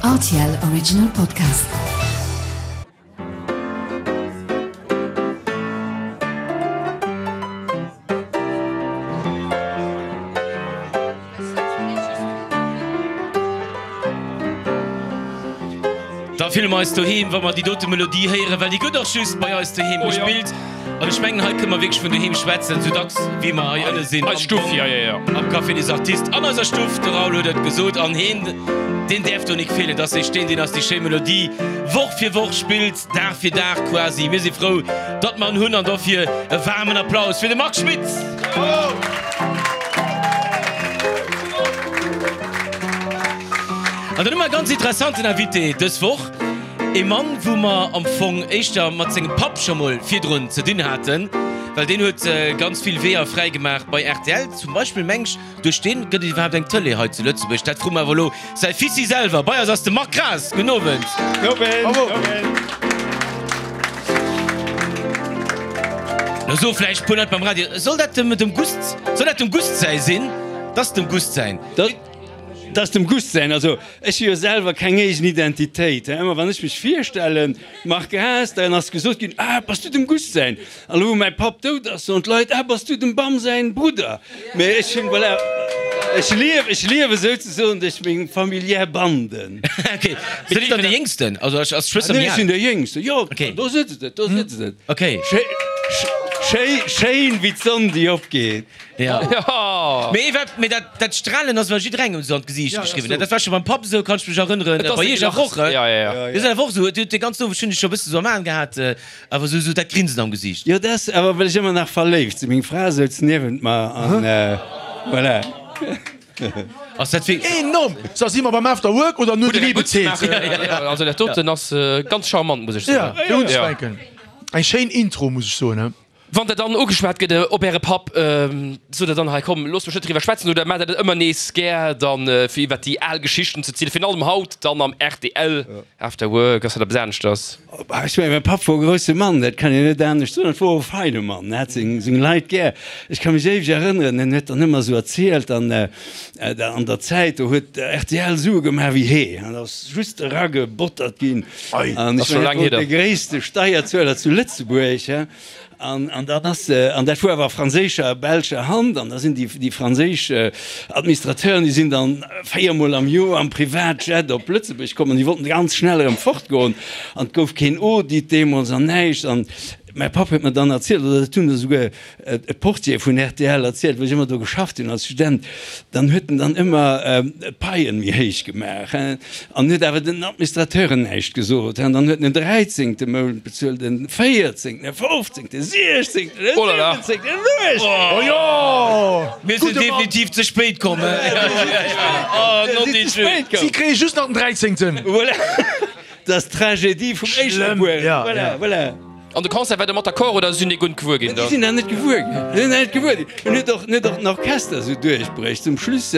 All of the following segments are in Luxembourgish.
Rtl Original Podcast. Da fille mer eis doheem, wa mer déi dote Melodie héieren, well déi gëtt och just bei eis doheem gespillt. An ech mengen, hei kënne mer wierklech vun doheem schwätzen, sou dacks wéi mer hei ënne sinn Eis Stuff, jo, jo, jo. am Café des Artistes, an eiser Stuff. De Raoul huet et gesot an heen, deen däerf do nik feelen. Dass sech deen, deen eis déi schéi Melodie Woch fir Woch spillt, Dag fir Dag quasi. Mir si frou, datt mer en hunn an dofir e waarmen Applaus fir de Marc Schmitz! An dann hu mer e ganz interessanten Invité dës Woch, ee Mann, wou mer am Fong éischter mat sengem Papp scho mol virdrun ze dinn haten, well deen huet ganz vill Weeër fräi gemaach bei rtl zum Beispill, meng ech. Duerch deen gëtt et iwwerhaapt eng Tëlee hei zu Lëtzebuerg? Dat froe mer awer elo säi Fissi selwer. Bei eis ass de Marc Graas. Gudden Owend. Owend. Lo soe vläicht puer Leit beim Radio, Soll dat dem dem Gust, soll dat dem Gust säi sinn? Dat ass dem Gust säin. Dat ass dem Gust säin. Also ech hu jo selwer keng eegen Identitéit. Ëmmer wann ech mech virstellen, Marc Graas, dann ass gesot ginn, Ah, bass du dem Gust säin? An elo wou mäi Papp dout ass, soen d'Leit, Ah, bass du dem Bam säin Brudder? Mee ech hunn, voilà, ech liew, ech liewe souzesoen duerch meng familiär Banden. Ok, mee du dann de Jéngsten? Also ass d'Schwëster méi al? Nee, ech sinn de Jéngsten, jo, do sëtzt et, do sëtzt et. Ok. Schéi, schéin wéi d'Sonn déi opgeet. Jo. Mee iwwer, mee dat, dat Strahlen ass ewell jidderengem esou an d'Gesiicht geschriwwen. Dat war scho beim Papp esou, kann ech mech erënneren. Bei iech awer och, he? Dir sidd awer och esou, de ganzen Owend hunn ech scho e bësse sou am Aen gehat. Awer sou sou dat Grinsen am Gesiicht. Jo, dat ass awer well ech ëmmer nach verléift sinn. Meng Fra souz niewent mer an voilà. Ass dat wierklech. Enorm! So, si mer beim After Work oder nur de Liebe zählt? Also dat doten ass ganz charmant, muss ech soen. Ja, fir unzefänken. Eng schéin Intro, muss ech soen. Wann der dann ugeschwat gëtt op äre Papp, sot der dann, hei komm, looss mech net driwwer schwätzen oder maacht der dat ëmmer nees gär dann, fir iwwert déi al Geschichten ze zielen, virun allem haut dann am rtl After Work, ass dat eppes aneschters? Ech mengen, mäi Papp wor e grousse Mann, dat kann een net anescht soen. Et wor e feine Mann, en hat seng Leit gär. Ech ka mech éiweg erënneren, en huet dann ëmmer esou erzielt, an an der Zäit, do huet rtl Sue gemaach wéi Hee, an ass just eragebottert ginn. An ech mengen, et wor de gréisste Steierzueler zu Lëtzebuerg. An, an dann ass, an dat wor awer a franséischer a belscher Hand, an da sinn déi, déi franséisch Administrateuren, déi sinn dann véiermol am Joer am Privatjet op Lëtzebuerg komm an déi wollten ganz schnell erëm fortgoen an et gouf keen Audit deemools an näischt. An mäi Papp huet mer dann erzielt, oder dat hunn der esouguer e Portier vun rtl erzielt, wou ech ëmmer do geschafft hunn als Student, dann huet en dann ëmmer d'Paien méi héich gemaach an huet awer den Administrateuren näischt gesot. An dann huet en den dräizéngte Mount bezuelt, den véierzéngten, den fofzéngten, den siechzéngten, den siwwenzéngten, den uechtzéngten. Oh jo! Mir sinn definitiv ze spéit komm. Si kréie just nach den dräizéngten. Voilà, dat ass d'Tragedie vum éischte Buer. Voilà, voilà. An de Concert war der mat d'accord oder sinn déi guer net gewuer ginn da? Déi sinn dat net gewuer ginn. Déi sinn dat net gewuer ginn. En huet och, en huet och den Orchester esou duerchbrécht. Zum Schluss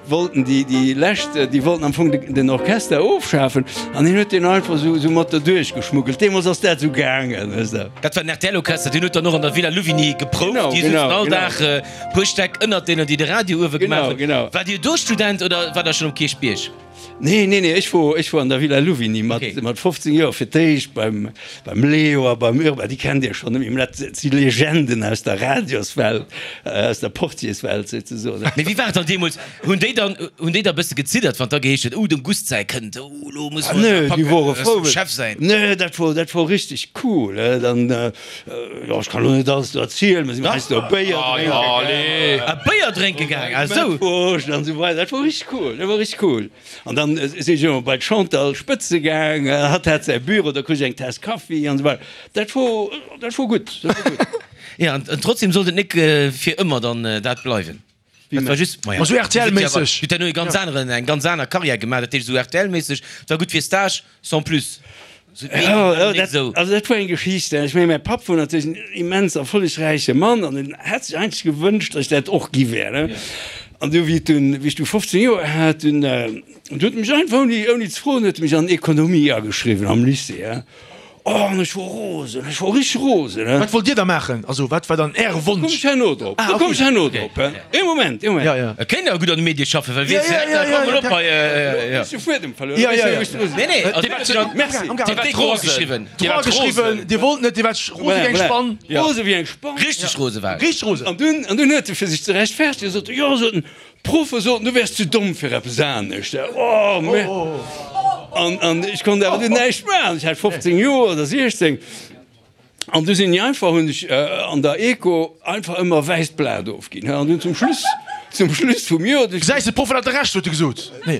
wollten déi, déi lescht, déi wollten am Fong den Orchester ofschafen an hien huet deen einfach esou, esou mat derduerch geschmuggelt. Deemools ass dat esou gaangen, weess de. Dat war den RTL-Orchester, deen huet dann och an der Villa Louvigny geprouft. Genau, Déi souzen genau, all genau. Dag e puer Stäck ënnert deenen, déi de Radio uewe gemaach Genau, hunn. genau. Waart Dir do Student oder waart Der schonn um Kierchbierg? Nee, nee, nee, ech wor, ech wor an der Villa Louvigny mat, Okay. mat 15 Joer fir d'éischt beim, beim Leo a beim Urbain, déi kennt Dir schonn, mä dat si Legenden aus der Radioswelt, aus der Portierswelt souzesoen. Mee wéi war et dann deemools? Hunn déi dann, hunn déi da e bësse geziddert, wann da geheescht huet, Oh, dem Gust säi kënnt, oh, elo musse Ah mer nee, eis déi apacken, wore dat ass frou, dem Chef säin. Nee, dat wor, dat wor richteg cool, dann, jo, ech kann elo net alles do erzielen, mer sinn heiansdo Béier drénke gaangen. Ah, Béier drénke gaangen, ah esou. Mettwurscht an esou weider, dat wor richteg cool, dat wor richteg cool. An dann sinn ech ëmmer bei d'Chantal Spëtze gaang, hatt hat säi Büro, da krut ech eng Taass Kaffi an esou weider. Dat wor, dat wor gutt, dat wor gutt. Jo, an trotzdem sollt et nik fir ëmmer dann dat bleiwen. Dat war just, maja, Ma sou RTL-méisseg. Huet herno e ganz aneren, eng ganz aner Karriär gemaach, dat heescht esou RTL-méisseg, et war gutt fir Stage, sans plus. Sou d'Medien Jo, waren jo, nik dat, esou. also dat war eng Geschicht. Ech mengen, mäi Papp wor natierlech en immens erfollegräiche Mann an en hätt sech eigentlech gewënscht, datt ech dat och gi wär, ne. An du, wéi et dunn, wéi ech du 15 Joer hat, dunn, du huet e mech einfach ouni, ouni ze froen, huet e mech an Ekonomie ageschriwwen am Lycée, hein. Oh, an ech wor rosen, ech wor richteg rosen, he. Wat wollt Dir da maachen? Also, wat war dann Äre Wonsch? Komm ech herno drop, do komm ech herno drop, he. Ee Moment, ee Moment. Ja, ja. Et kéint awer gutt an de Medie schaffen, well weess de, da komm mol op hei, jo. Ech hu Fuedem verluer, Ja, ja, ja. Nee, nee, also Dir waart, Merci. Dir waart rosen. Dir waart geschriwwen, Dir wollt net, Dir waart rose wéi eng Spann. Rose wéi eng Spann. Richteg rose war ech. Richteg rose. An dunn, an dunn huet e fir sech ze rechtfertegen gesot, jo, sot en, D'Proffe soten, du wäers ze domm fir eppes anescht. Oh, mä. An, an ech konnt awer dunn näischt maachen. Ech hat 15 Joer oder 16. An du sinn ech einfach, hunn ech an der Eco einfach ëmmer e wäisst Blat ofginn. An dunn zum Schluss, zum Schluss vum Joer. Gesäis de, d'Proffen hate Recht, huet e gesot. Nee.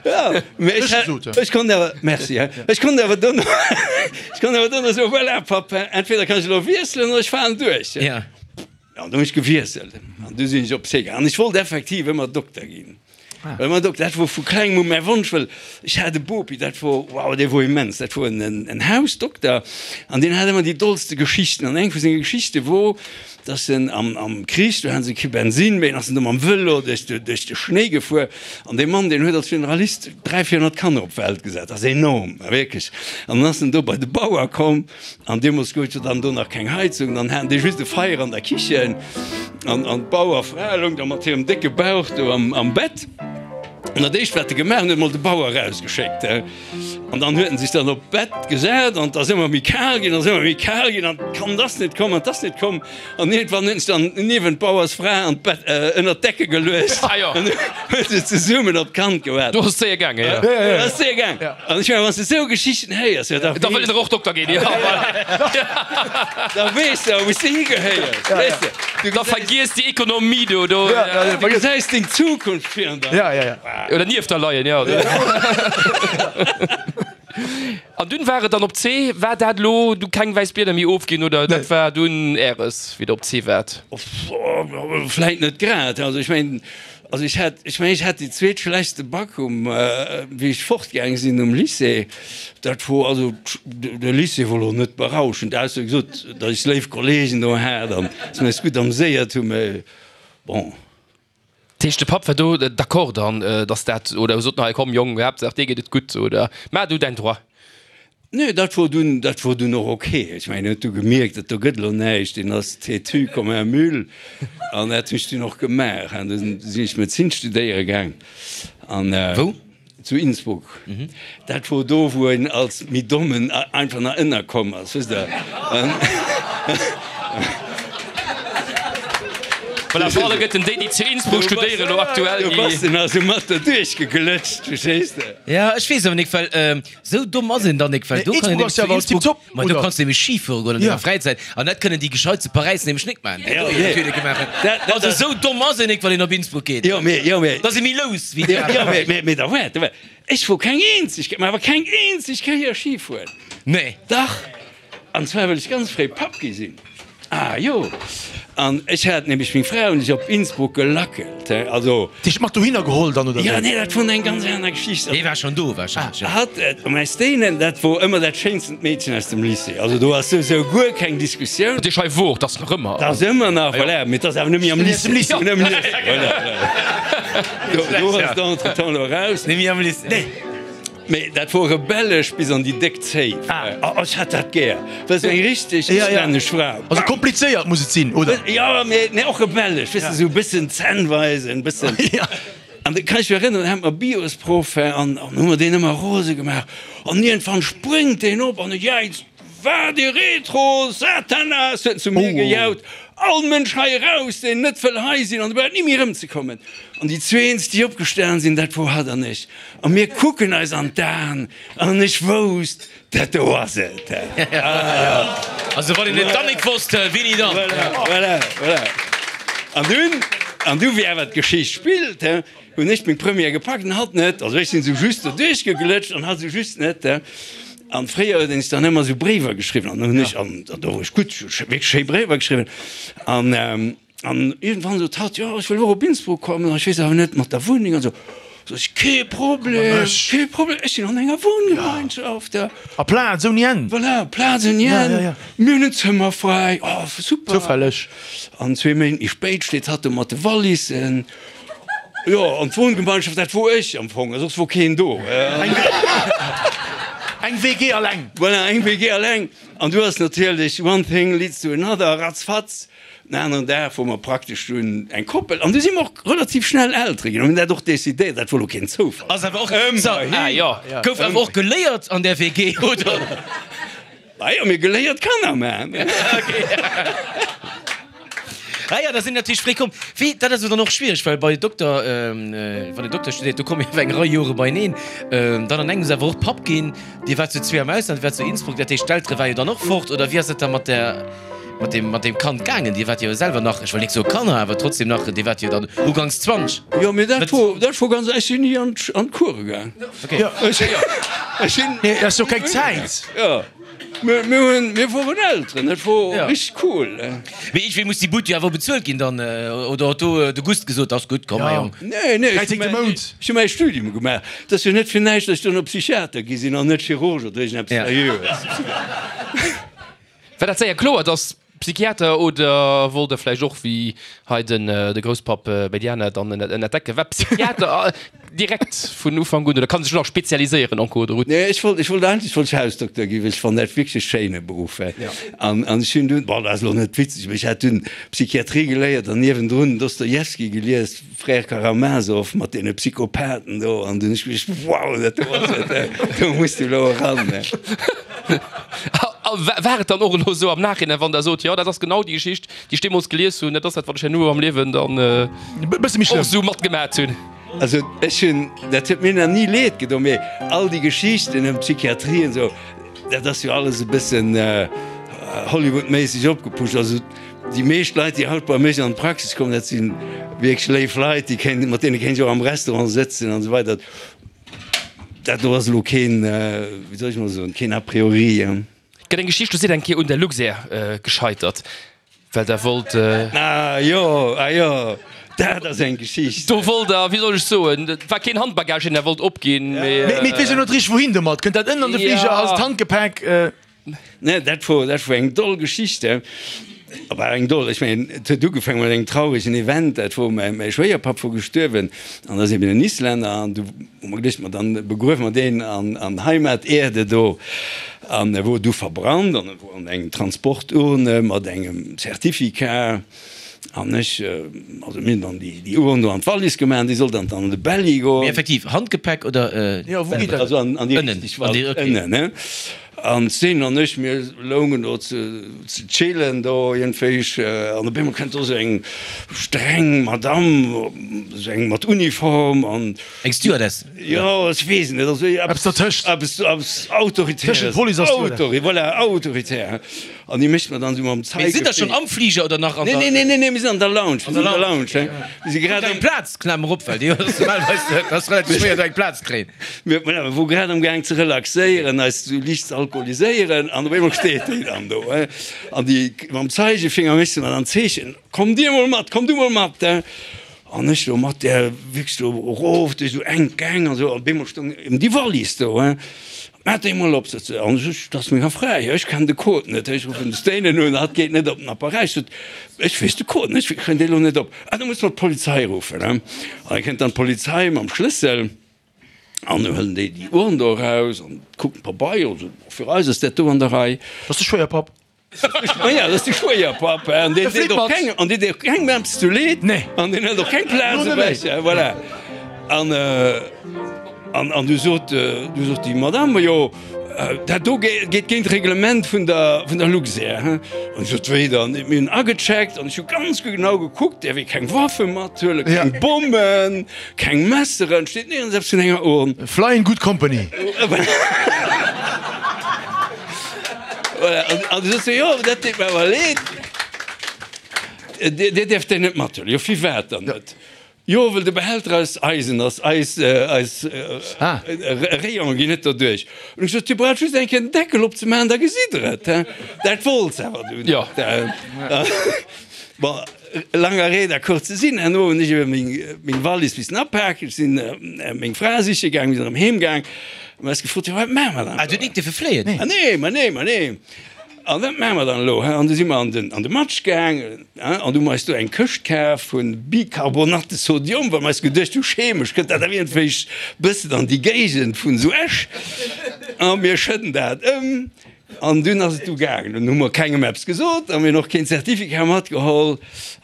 Ja, mä ech hat, ech konnt awer, merci, ech konnt awer dunn, ech konnt awer dunn soen, voilà, Papp, entweder kann ech elo wiesselen oder ech falen duerch. Ja. An du hunn ech gewiesselt an du sinn ech op Sega. An ech wollt effektiv ëmmer Dokter ginn. Ëmmer Dokter, dat wor vu klengem u mäi Wonsch, well ech hat e Bopi, dat wor, wow, dee wor immens. Dat wor en en Hausdokter an deen hat ëmmer déi dollste Geschichten. An eng vu senge Geschichte wor, dass en am am Krich, do hate se kee Bensinn méi, an ass en do mam Vëlo duerch de duerch de Schnéi gefuer. An dee Mann, deen huet als Generalist 300, 400 Kanner op d'Welt gesat. Dat ass enorm, wierklech. An dann ass en do bei de Bauer komm. An deemools gouf et jo dann do nach keng Heizung, dann haten déi just e Feier an der Kichen an an d'Bauerfra loung da mat hirem décke Bauch do am am Bett. An dat éischt wat e gemaach hunn, huet emol de Bauer erausgeschéckt. An dann huet en sech dann op d'Bett gesat an et ass ëmmer méi kal ginn, ass ëmmer méi kal ginn an d'Kand ass net komm an 't ass net komm. An iergendwann huet en sech dann niewent d'Bauersfra an d'Bett ënnert d'Decke geluecht an huet se zesummen op d'Kand gewaart. Do ass et séier gaangen, jo. Do ass et séier gaangen. An ech mengen, wann s de esou Geschichten héiers, jo, da Da wëll een och Dokter ginn, jo. Da weess de, wou s de higehéiers, weess de. Du Da vergiess déi Ekonomie do, do. Du gesäis deng Zukunft virun der. Ja, ja, ja. Oder nieft der leien, jo. An dunn war et dann op C. War dat elo du keng wäiss Blieder méi ofginn oder dat war dunn Äres, wéi der op C waart? Vläit net grad. Also ech mengen, also ech hat, ech mengen ech hat déi zweetschlechtste Bac um, wéi ech fortgaang sinn um Lycée. Dat wor also, de Lycée wor elo net berauschend, ausser wéi gesot, datt ech léif Kollegen do hat an datt mir eis gutt amséiert hunn, mä bon. Dat heescht, de Papp war do d'accord dann, dass dat, oder sot nach, komm Jong, Haaptsaach dir geet et gutt, oder maach du däin Droit? Nee, dat wor dunn, dat wor dunn och ok. Ech mengen, en huet du gemierkt, dat do gëtt elo näischt, deen ass têtu comme un mule an dat hunn ech dunn och gemaach. An du sinn ech Medezin studéiere gaang an. Wou? Zu Innsbruck. Dat wor do, wou een als méi Dommen einfach nach ënnerkomm ass, wësst Der. Voilà, fir alleguerten déi, déi zu Innsbruck studéieren elo aktuell, Do déi. bass de nach esou mat derduerch geglëtscht, verstees de? Ja, ech weess awer nik, well esou domm ass een dann nik, well do kann een Innsbruck ass nämlech jo zu awer Innsbruck, tiptop, ma do oder? kanns de nämlech Ski fuere goen an denger Fräizäit an dat kënnen déi Gescheit zu Paräis nämlech nik maachen, déi do jo natierlech gemaach hunn. Also esou domm ass een nik, wann een op Innsbruck geet. Jo, mee, jo, mee. Da si méi lous wéi déi Jo, aner. mee, mee, mee da waart, da waart. Ech wor keng eenzeg, mä awer keng eenzeg Kéier Ski fueren. Nee. Dach! An zwar well ech ganz fréi Papp gi sinn. Ah jo! An ech hat nämlech meng Fra hunn ech op Innsbruck gelackelt, he, also. Dech mat dohinner geholl dann, oder Jo, wéi? nee, dat wor eng ganz aner Geschicht. Dee war schonn do wahrscheinlech, jo. Hatt, mäi Stéinen, dat wor ëmmer dat schéinstent Meedchen aus dem Lycée. Also do ass souwisou guer keng Diskussioun. Dat heescht, hei wor, 't ass nach ëmmer. 't ass ëmmer nach, voilà, mee 't ass awer net méi am Lycée. Net am Lycée, voilà, voilà. Do, do ass et entretemps elo eraus. Net méi am Lycée. Nee. Mee dat wor rebellesch bis an déi déck Zéif. Oh, ech hat dat gär. Dat ass eng richteg islännesch Fra. Also komplizéiert muss et sinn, oder? Jo, mee nee, och rebellesch, weess de, sou e bëssen Zänn weisen, e bëssen. An da kann ech mech erënneren, hat mer Biosproff an hu mer deen ëmmer rose gemaach. An iergendwann spréngt deen op an e jäizt, Vade retro, Satanas! huet en zu mir gejaut. All Mënsch hei eraus, deen net wëll hei sinn an dobäi huet ni méi erëmzekommen. An déi zweens, déi opgestan sinn, dat wor hatt an ech. A mir kucken eis an d'Aen an ech wousst, dat do ass et. Also wann een et dann nik wosst, wéini dann? Voilà, voilà, voilà. An dunn, an du wéi awer d'Geschicht spillt, hunn ech meng Première gepackt an hatt net. Also ech sinn esou just doduerch geglëtscht an hatt esou just net. An fréier huet een sech dann ëmmer esou Bréiwer geschriwwen an dann hunn ech, an do wor ech gutt, ech hu wierklech schéi Bréiwer geschriwwen an an iergendwann sot hatt, jo ech wëll och op Innsbruck kommen, ech weess awer net mat der Wunneng an esou. Sot ech, kee Problem, kee Problem, ech sinn an enger Wohngemeinschaft, ja. A Plaz ouni Enn. Voilà, Plaz ouni Enn, mir hunn en Zëmmer fräi, oh super. Zoufälleg. An zwee Méint méi spéit steet hatt do mat de Wallissen. Jo, an d'Wohngemeinschaft, dat wor ech am Fong, soss wor keen do. Eng WG alleng. Voilà, eng WG alleng. An du ass natierlech one thing leads to another, ratzfatz. Den aneren Dag wor mer praktesch dunn eng Koppel an du si mer och relativ schnell Eltere ginn. An hunn dat och decidéiert, dat wor lo keen Zoufall. Ass awer och, so, gouf awer och geléiert an där WG, oder? Ah jo, mir geléiert Kanner maachen. Ah jo, da sinn natierlech fréi komm. Wéi, dat ass jo dann och schwiereg, well bei Dokter, wann een Dokter studéiert, do komme jo awer eng Rei Jore beieneen. Dann an engems awer och Papp ginn. Dir waart zu zwee am Ausland, Dir waart zu Innsbruck, dat heescht d'Eltere war jo dann och fort, oder wéi ass et da mat der, mat deem, mat deem Kand gaangen? Dir waart jo selwer nach, ech wëll nik soe Kanner, awer trotzdem nach, Dir waart jo dann uganks 20. Jo, mee dat wor, dat wor ganz, ech sinn ni an d'Course gaang. Okay. Jo, Ech sinn. Nee, ass jo keng Zäit. Jo, mir, mir hunn, mir woren Elteren, dat wor richteg cool. Mee iergendwéi muss déi Bud jo awer bezuelt ginn dann, oder huet do de Gust gesot, ass gutt, komm mäi Jong. Nee, nee, ech hu mäi Studium gemaach. Et ass jo net fir näischt, datt ech duerno Psychiater gi sinn an net Chirurg oder iergendeppes Seriöes. War dat séier kloer, datt Psychiater oder wollt der vläicht och wéi hei den de Grousspapp bei déi aner dann ënnert d'Decke? War Psychiater direkt vun Ufank un oder kann sech nach spezialiséieren en cours de route? Nee, ech wollt, ech wollt eigentlech wollt ech Hausdokter ginn, well ech fannen dat wierklech e schéine Beruff. An an ech hunn dunn, bon, dat ass elo net witzeg, mee ech hat dunn Psychiatrie geléiert an niewendrun Dostojewski gelies, Frère Karamazov mat deene Psychopathen do an dunn ech geduecht, wow, dat do ass et, do muss du elo eran. A war et dann och elo esou am Nachhinein, wann Der sot, jo dat ass genau déi Geschicht, déi ech deemools gelies hunn, dat ass dat, wat ech herno am Liewen dann och esou matgemat hunn? Also ech hunn, dat huet mir nach ni leed gedoen, mee all déi Geschichten ëm d'Psychiatrie an esou, dat ass jo alles e bëssen Hollywood-méisseg opgepusht. Also Déi meescht Leit, déi haut bei mech an d'Praxis kommen, dat si wierklech léif Leit, déi kéint, mat deene kéint ech och am Restaurant sëtzen an esou weider. Dat do ass elo keen, wéi soll ech mol soen, keen a priori. Gëtt eng Geschicht, do sidd eng Kéier un der Luxair gescheitert, well der wollt. Ah jo, ah jo, dat ass eng Geschicht. Do wollt der, wéi soll ech soen, et war keen Handbagage, deen der wollt opginn, mee. Mee et weess een net richteg wouhin domat. Kënnt dat ënnen an de Fliger als d'Handgepäck? Nee, dat wor, dat wor eng doll Geschicht, hè. War eng doll, ech mengen, et huet ugefaangen mat engem trauregen Event, dat wor mäi, mäi Schwéierpapp wor gestuerwen an ass eben en Islänner an du hu mer geduecht, ma dann begruewe mer deen an, an Heimat Erde do an e wor du verbrannt an e wor an engem Transporturne mat engem Certificat an ech, also mir hunn dann déi, déi Urn do an d'Wallis gemaach an déi sollt dann an de Belli goen. Mee effektiv, Handgepäck oder? Jo, wou geet dat? Also an, an déi richteg Wallis, ënnen, hè. An d'Steen an ech, mir loungen do ze chillen do iergendwéich an op eemol kënnt do sou eng streng Madamm, sou eng mat Uniform an. Eng Stewardess? Jo, ech weess et net, also eppes dertëscht. Eppes, eppes Autoritäres. Tëschent Police a Stewardess. Autori, voilà, autoritär. An déi mécht mer dann esou mam Mee sidd der schonn am Fliger oder nach an der. Nee, nee, nee, nee, mir sinn an der Lounge, mir sinn an der Lounge, he. Mir si grad am. Plaz, Klamer op, well déi ass normalerweis, dat ass relativ schwéier do eng Plaz ze kréien. Mir, voilà, mir wore grad am Gaang ze relaxéieren, eis esou liicht ze alkoholiséieren an op eemol steet déi dann do, he. An déi mam Zeigefinger mécht se mer dann d'Zeechen, Komm dir mol mat, komm du mol mat, he. An ech do mat där wierklech do erof duerch esou enk Gäng an esou, an op eemol stoung eben déi Wallis do, he. Maach déi mol op, sot se. An ech, dat ass menger Fra hir, ech kennen de Code net. Ech ruffen de Stéinen un, hatt geet net op den Appareil. Ech sot, ech weess de Code net, ech kréien dee lo net op. Ah, da muss mer d'Polizei ruffen, he. An da kënnt dann d'Polizei mam Schlëssel an du huelen déi déi Urn do eraus an kucken d'Pabeier an soen, fir eis ass dat do an der Rei. Dat ass de Schwéierpapp. Ma ja, dat ass de Schwéierpapp, an deen deet och keng, an deen deet och kengem eppes zu Leed. Nee. An deen hëlt och keng Plaz ewech, voilà. An, an, an du sot, du sot déi Madame, jo, dat do geet géint d'Reglement vun der, vun der Luxair, hein. An ech sot, wéi dann? Mir hunn agecheckt an ech hu ganz genau gekuckt, däerf ee keng Waffe mathuelen, keng Bommen, keng Messeren, steet nirgends eppes vun enger Urn. Fly in good company. Voilà, an du sot se, jo, dat deet mer awer leed, Dir däerft déi net mathuelen. Jo, firwat dann net? Jo, well de Behälter aus Eisen ass, eis, eis Rayonen ginn net derduerch. An ech sot, Dir braucht just eng Kéier den Deckel opzemaachen, da gesitt Der et. Dat wollt se awer dunn net. Bon, langer Rede a kurzer Sinn, herno hunn ech ebe meng, meng Wallis missen apaken, ech sinn meng Fra siche gaang, mir sinn erëm heem gaang. Mir eis gefrot, jo wat maache mer dann Ah, du huet nik dierfe fléien? Ah nee, ma nee, ma nee. An wat maache mer dann elo? An du si mer an den, an de Matsch gaang, an du hu mer eis do eng Këscht kaf vu Bicarbonate de sodium, well mer eis geduecht hu, chemesch kënnt dat awer iergendwéi bëssen an déi Géigend vun esou Esch. A mir schëdden dat ëm. An dunn ass et du gaangen. Dunn hu mer kengem eppes gesot a mir hunn och keen Certificat matgeholl.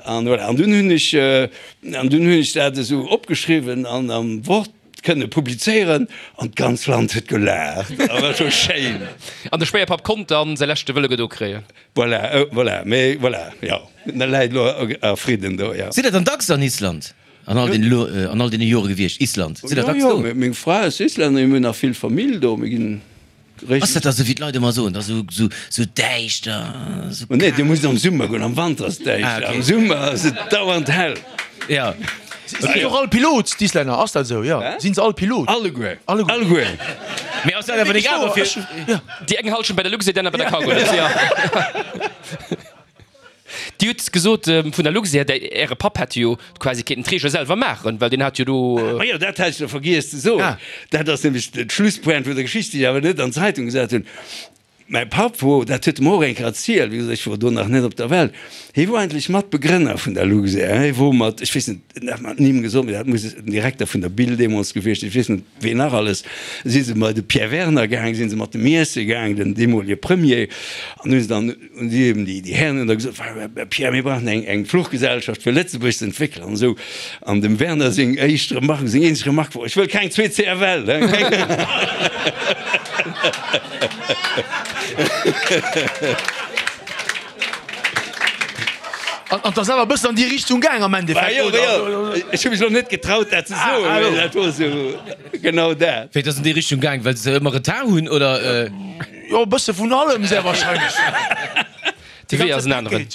An voilà. An dunn hunn ech, an dunn hunn ech dat esou opgeschriwwen an am Wort kënne publizéieren an d'ganz Land huet gelaacht. A war scho schéin. An de Schwéierpapp konnt dann säi leschte Wëlle gedo kréien. Voilà, voilà, mee voilà, jo, en läit elo a Fridden do, jo. Sidd der dann dacks an Island an all den an all deene Jore gewiescht? Island, sidd der dacks do? Jo, jo, meng Fra ass Islännerin, mir hunn nach vill Famill do, mir ginn. Ass dat da sou wéi d'Leit ëmmer soen, da sou sou sou däischter, sou kal? Nee, dir musst am Summer goen, am Wanter ass et däischter, am Summer ass et dauernd hell. Ja. Sinn se och all Pilot, d'Islänner? Ass dat esou? Jo, sinn se all Pilot? Alleguer, alleguer. Mee ass dat awer nik awer fir. Déi eng Halschent bei der Luxair, déi aner bei der Cargolux, jo. Dir hutt gesot vun der Luxair, däi Äre Papp hätt jo quasi kéinten d'Reegele selwer maachen, well deen hat jo do. Majo, dat hat ech nach vergiess ze soen. Dat ass nämlech d'Schlusspointe vun der Geschicht, déi ech awer net an d'Zeitung gesat hunn. Mäi Papp wor, dat huet e mer och eng Kéier erzielt, wéi gesot, ech wor do nach net op der Welt, hie wor eigentlech Matbegrënner vun der Luxair. Hie wor mat, ech weess net, en hat mer d'Nimm gesot, mee dat muss den Direkter vun der Bill deemools gewiescht sinn, ech weess net, ween nach alles, si se bei de Pierre Werner gaang, si se mat dem iesse gaang, den deemolige Premier, an hu se dann, hunn si eben déi Hären hunn da gesot, Pierre, mir brauchen eng eng Fluchgesellschaft fir Lëtzebuerg ze entwéckelen an esou. An dem Werner seng éischt Remarque, seng eenzeg Remarque wor, Ech wëll keng zweet CFL, hein, keng. An et ass awer e bëssen an déi Richtung gaang am Endeffekt, oder? Jo, jo, ech hu mech elo net getraut, dat ze soen, mee dat wor esou genau dat. Wéi, et ass an déi Richtung gaang, well se ëmmer Retard hunn, oder? Jo, e bësse vun allem sehr wahrscheinlech. De Wee ass en aneren.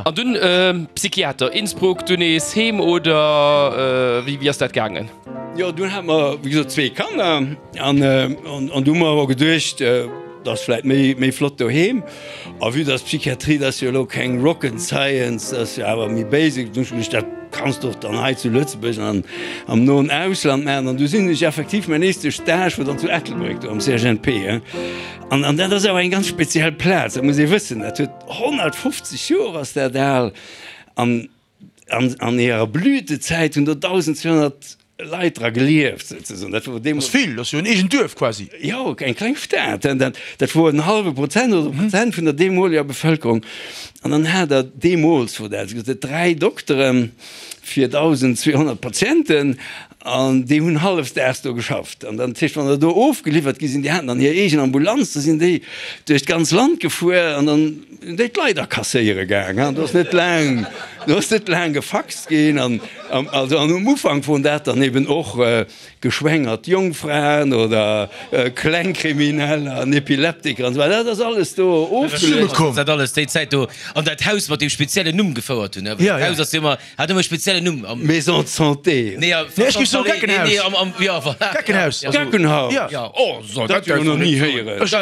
An dunn Psychiater, Innsbruck, dunn nees heem oder wéi ass dat gaangen? Jo, dunn hate mer wéi gesot zwee Kanner an an du hu mer awer geduecht, et ass vläit méi méi flott doheem. A vue dass Psychiatrie, dat ass jo elo keng Rocket Science, dat ass jo awer méi basic, dunn hu ech geduecht, dat kanns de och dann hei zu Lëtzebuerg an am noen Ausland maachen. An du sinn ech effektiv, mäin éischte Stage wor dann zu Ettelbréck do am CHNP. An an dat ass awer eng ganz speziell Plaz, dat muss ee wëssen. Dat huet 150 Joer ass dat al. An an an hirer Blütezäit hunn do 1.200 Leit dra gelieft souzesoen. Dat wor deemools. Ass vill, ass jo en eegent Duerf quasi. Jo, eng kleng Stad. Dat dat wor en hallwe Prozent oder e Prozent vun der deemoleger Bevëlkerung. An dann hat der, deemools wor dat esou, 3 Dokteren fir 1.200 Patienten. An déi hunn hallefdaags do geschafft. An dann, dat heescht, wann der do ofgeliwwert gi sinn, déi haten dann hir eegen Ambulanz, da sinn déi duerch d'ganz Land gefuer an dann sinn déi d'Leit akasséiere gaang. An do ass net laang, do ass net laang gefaxt ginn. An also an um Ufank woren dat dann eben och geschwängert Jongfraen oder Klengkrimineller an Epileptiker an esou weider. Dat ass alles do ofgeluecht. Dat alles déi Zäit do an dat Haus mat deem speziellen Numm gefouert hunn. Dat Haus ass jo ëmmer Hat ëmmer e speziellen Numm. Am Maison de santé. Nee, ja, Nee, ech géif soen Geckenhaus. Nee, am, am, ja, voilà. Geckenhaus. Geckenhaus. Ja. Ja, oh, so, dat hu ech nach ni héieren. Ech,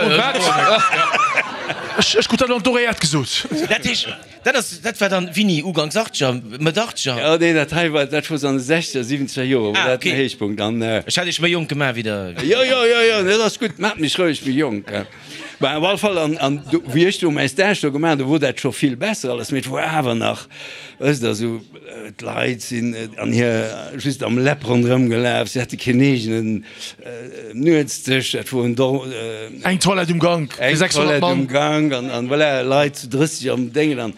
ech, ech krut dat an d'Oreillette gesot. Dat heescht, dat ass, dat war dann wini? Uganks Achtzeger, Mëtt Achtzeger? Ja, nee, dat hei war, dat wor se an de Sechzeger, Siwenzeger Joer, wor Ah, dat den okay. Héichpunkt. An, Ech hat iech méi jonk gemaach wéi der. Jo, jo, jo, jo, dat ass gutt, maacht mech roueg méi jonk. Bah, op alle Fall, an, an do, wéi ech do mäi Stage do gemaach hunn, do wor dat scho vill besser alles, mee et wor awer nach, wësst Der, esou, d'Leit sinn an hir, just am Läpp ronderëm gelaf, si hate keen eegenen Nuetsdësch, dat wor en Dor. Eng Toilette um Gank fir Eng 600 Toilette Mann. um Gank an, an voilà, Leit zu 30 am Déngen an.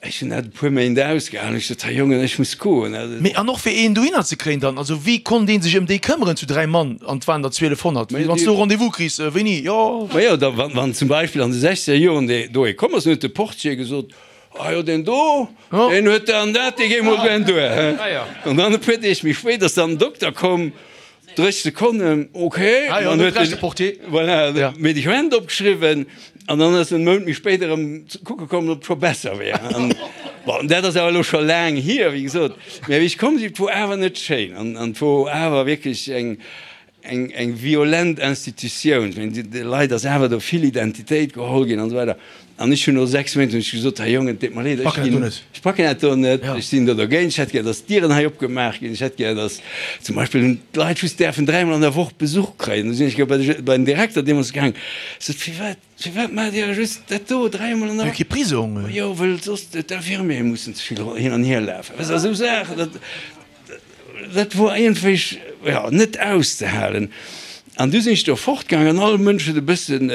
Ech hunn dat e puer Méint ausgehalen. Ech sot, Här Jongen, ech muss goen. Mee an och fir een dohinner ze kréien dann, also wéi konnt ee sech ëm déi këmmeren zu 3 Mann, an et waren der 1200, wann s du e Rendez-vous kriss, wéini, jo. Majo, da wann zum Beispill an de sechzeger Joren dee do ee komm ass, dann huet de Portier gesot, Ah jo, deen do, deen huet dat an dat, dee géi mol gären duer. An dann e puer Deeg méi spéit ass dann den Dokter komm, 30 Sekonnen, ok, Ah jo, an huet huet recht de Portier. Voilà, Ja. Medikament opgeschriwwen an dann ass en Mount méi spéit erëm kucke komm, ob et scho besser wär. An bon, dat ass awer elo scho laang hier, wéi gesot. Mä wéi ech komm sinn, et wor awer net schéin an an et wor awer wierklech eng eng eng violent Institutioun. Ech mengen, de Leit ass awer do vill Identitéit geholl ginn an esou weider. An ech hunn no 6 Méint hunn ech gesot, Här Jongen, et deet mer leed, ech ginn, ech packen dat do net, ech sinn do dergéint, ech hätt gär, datt d'Dieren hei opgemaach ginn, ech hätt gär, datt zum Beispill hunn d'Leit just däerfen dräimol an der Woch Besuch kréien. Du sinn ech bei de, bei den Direkter deemools gaang, ech sot, Firwat, firwat maacht Dir just dat do dräimol an der Woch? Kee Prisong? Jo, well soss d'Infirmiere mussen ze vill hin an hier lafen. Weess de, esou Saachen, dat, dat wor iergendwéi, jo, net auszehalen. An du sinn ech do fortgaang an all Mënsch huet e bëssen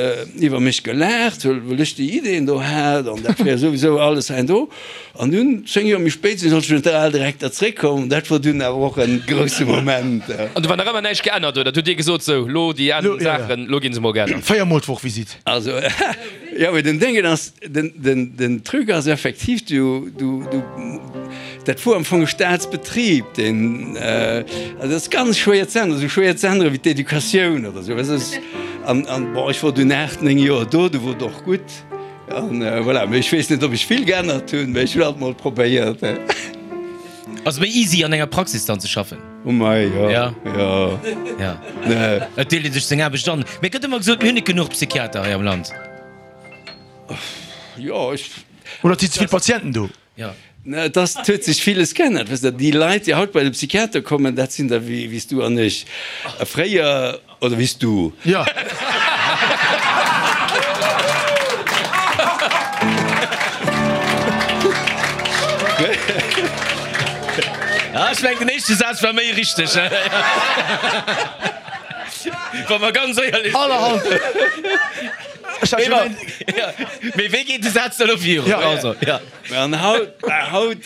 iwwer mech gelaacht, well ech déi Ideen do hat an dat wär souwisou alles hei an do. An dunn, 10 Joer méi spéit, sinn ech als Generaldirekter zréckkomm. Dat wor dunn awer och e grousse Moment. An do war nach ëmmer näischt geännert, oder? Du hutt Dir gesot, sou, lo déi aner Saachen, lo ginn se mol geännert. 4 mol d'Woch Visite. Also, jo, mee den Déngen ass, den, den, den Truc ass effektiv, du, du, du, dat wor am Fong e Staatsbetrib, deen, also dat ass ganz schwéier ze änneren, esou schwéier ze änneren wéi d'Educatioun oder esou, weess de. An, an, bon, ech wor dunn 8, 9 Joer do, du wor et och gutt. An voilà, mee ech weess net, ob ech vill geännert hunn, mee ech hunn alt mol probéiert. Ass méi easy an enger Praxis dann ze schaffen? Oh mei, jo, Ja. jo, Ja. nee. Et deelt ee sech seng Aarbecht an. Mee et gëtt ëmmer gesot, mir hunn net genuch Psychiater hei am Land. Jo, ech. Oder et si ze vill Patienten do? Ja. Ne, et ass, et huet sech villes geännert. Weess de, déi Leit, déi haut bei de Psychiater kommen, dat sinn der wéi, wéi s du an ech fréier, oder wéi s du. Ja. Ah, ech mengen, den éischte Saz war méi richteg. Wa mer ganz éierlech sinn. Allerhand. Mee wéi geet de Saz dann elo virun? Ja. Also, ja. An haut, haut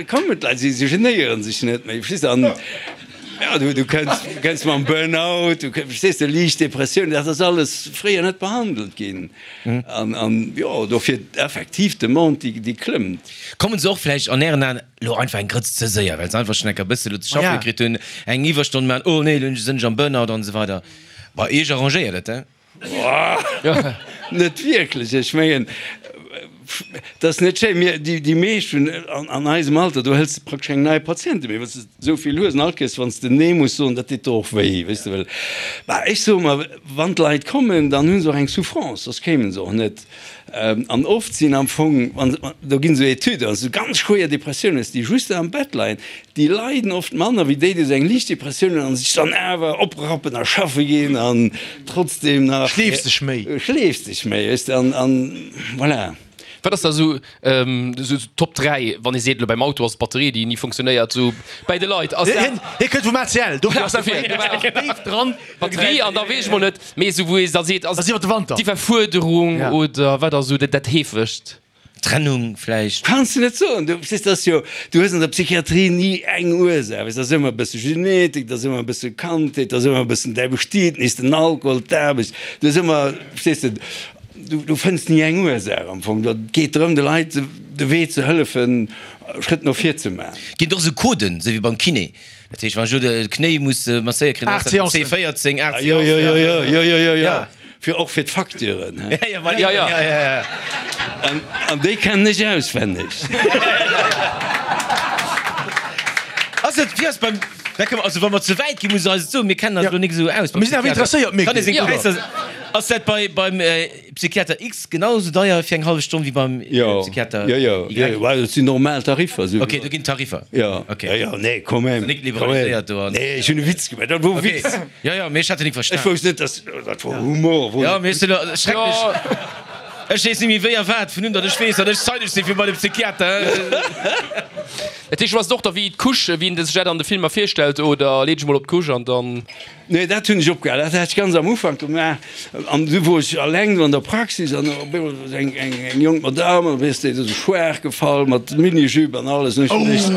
kommen d'Leit, si genéieren sech net méi, verstees de? An ja, du, du kënns, du kënns mam Burnout, du kënns, verstees de, liicht Depressioun, dat ass alles fréier net behandelt ginn. An, an jo, dofir effektiv d'Demande, déi, déi klëmmt. Kommen se och vläicht an Ären Aen elo einfach eng Grëtz ze séier, well se einfach schonn enker e bësse lo ze schaffe kritt hunn, eng Iwwerstonn maachen, oh nee, elo sinn ech am Burnout an esou weider. Bei Iech arrangéiert et, he? Net wierklech. Ech mengen, et ass net schéin. Mir, déi, déi meescht vun, an, an eisem Alter, do hëls de praktesch keng nei Patiente méi, well s de esou vill hues. An all Kéiers, wann s de Nee muss soen, dat deet der och wéi, weess de. Well, bah, ech soe mer, wann d'Leit kommen, dann hu se och eng Souffrance, soss kéimen se och net. An oft sinn am Fong, wann, do ginn esou Etüden, wann s du ganz schwéier Depressioun hues, déi just am Bett leien, déi leiden oft manner wéi déi, déi esou eng liicht Depressioun hunn an sech dann awer oprappen a schaffe ginn an trotzdem nach. Schleefs dech méi. Schleefs dech méi, weess de, an, an voilà. Wat ass da esou, esou Top 3, wann ee seet, elo beim Auto ass d'Batterie, déi ni funktionéiert, esou bäi de Leit, ass dat. Hie kënnt vum ACL, dofir ass dat déif dran. Batterie an da weess ech mol net méi esou wou ee da seet, ass Ass iwwer de Wanter. d'Iwwerfuerderung Ja. oder wat ass esou dat dat heefegst? Trennung vläicht. Kanns de net soen. Du verstees, dat ass jo, du hues an der Psychiatrie ni eng Ursaach, weess, dat ass ëmmer e bësse Genetik, dat ass ëmmer e bësse Kandheet, dat ass ëmmer e bëssen däi Bestietnis, den Alkohol, d'Aarbecht, du hues ëmmer, verstees de, du, du fënns ni eng Ursaach am Fong. Et geet drëm, de Leit de Wee ze hëllefen, Schrëtt no vir ze maachen. Ginn et och esou Coden, esou wéi beim Kiné? Dat heescht, wann ech elo de Knéi muss masséiert kréien, dann ass dat C14, 8 Jo, jo, jo, jo, jo, jo, jo, jo. Fir och fir d'Facturen, he? Ja, ja, ja, ja, ja. An, an déi kennen ech auswenneg. Ass et, wéi ass beim, da kënne mer, also wa mer ze wäit ginn, muss Der eis et soen, mir kennen eis elo nik esou aus beim Mir sinn awer Psychiater. interesséiert, Kann ee seng Méckel. Präisser, ass dat bei, beim Psychiater X genau esou deier fir eng hallef Stonn wéi beim Psychiater Jo, jo, Y? jo, jo, well et sinn normal Tariffer. Esou Ok, do ginn Tariffer. Jo, Ok. jo, jo, nee, quand même. Nik liberaliséiert do an. Nee, ech hunn e Witz gemaach, dat wor e Ok, Witz. jo, jo, mee ech hat en nik Ech verstan. wousst net, dass, dat wor Humor, wor Jo, net. mee ech sinn elo schrecklech. Ech weess net méi wéi a wat, vun un datt ech weess, datt ech zeideg sinn fir bei de Psychiater. Dat heescht, du ass et och da wéi d'Couche, wéi een sech dat an de Filmer virstellt, oder leet dech mol op d'Couche an dann. Nee, dat hunn ech opgehal. Dat hat ech ganz am Ufank gemaach. An du wor ech alleng do an der Praxis an op eemol war eng, eng, eng jonk Madame an weess de, esou schwaach gefall mat Minijupe an alles. An ech hunn geduecht,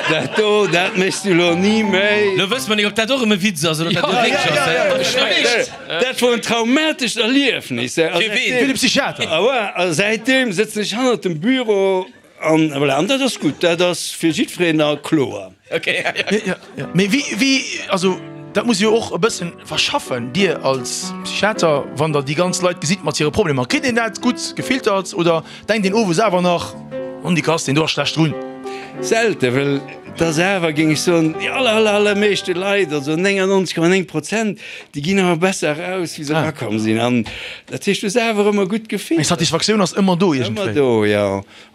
dat do, dat méchs du elo ni méi. Lo wësse mer nik, ob dat och erëm e Witz ass oder ob dat elo wierklech ass. Dat wor en traumatescht Erliefnis. Fir ween? Fir de Psychiater. Ah ouais, a säitdeem sëtzen ech hannert dem Büro An voilà, an dat ass gutt, dat ass fir jiddwereen da kloer. Okay, ja, ja. Ja, ja. Mee wéi, wéi, also dat muss jo och e bëssen verschaffen, Dir als Psychiater, wann Der déi ganz Leit gesitt mat hire Problemer. Kritt een dat gutt gefiltert oder denkt een owes awer nach, Hondikass, deen do ass schlecht drun? Selte, well et ass awer, géing ech soen, déi aller, aller, allermeeschte Leit, also 99,9 Prozent, déi ginn awer besser eraus, wéi se erakomm sinn. An dat heescht, du hues awer ëmmer gutt gefiltert. Eng Satisfaktioun ass ëmmer do iergendwéi. Ëmmer do, jo.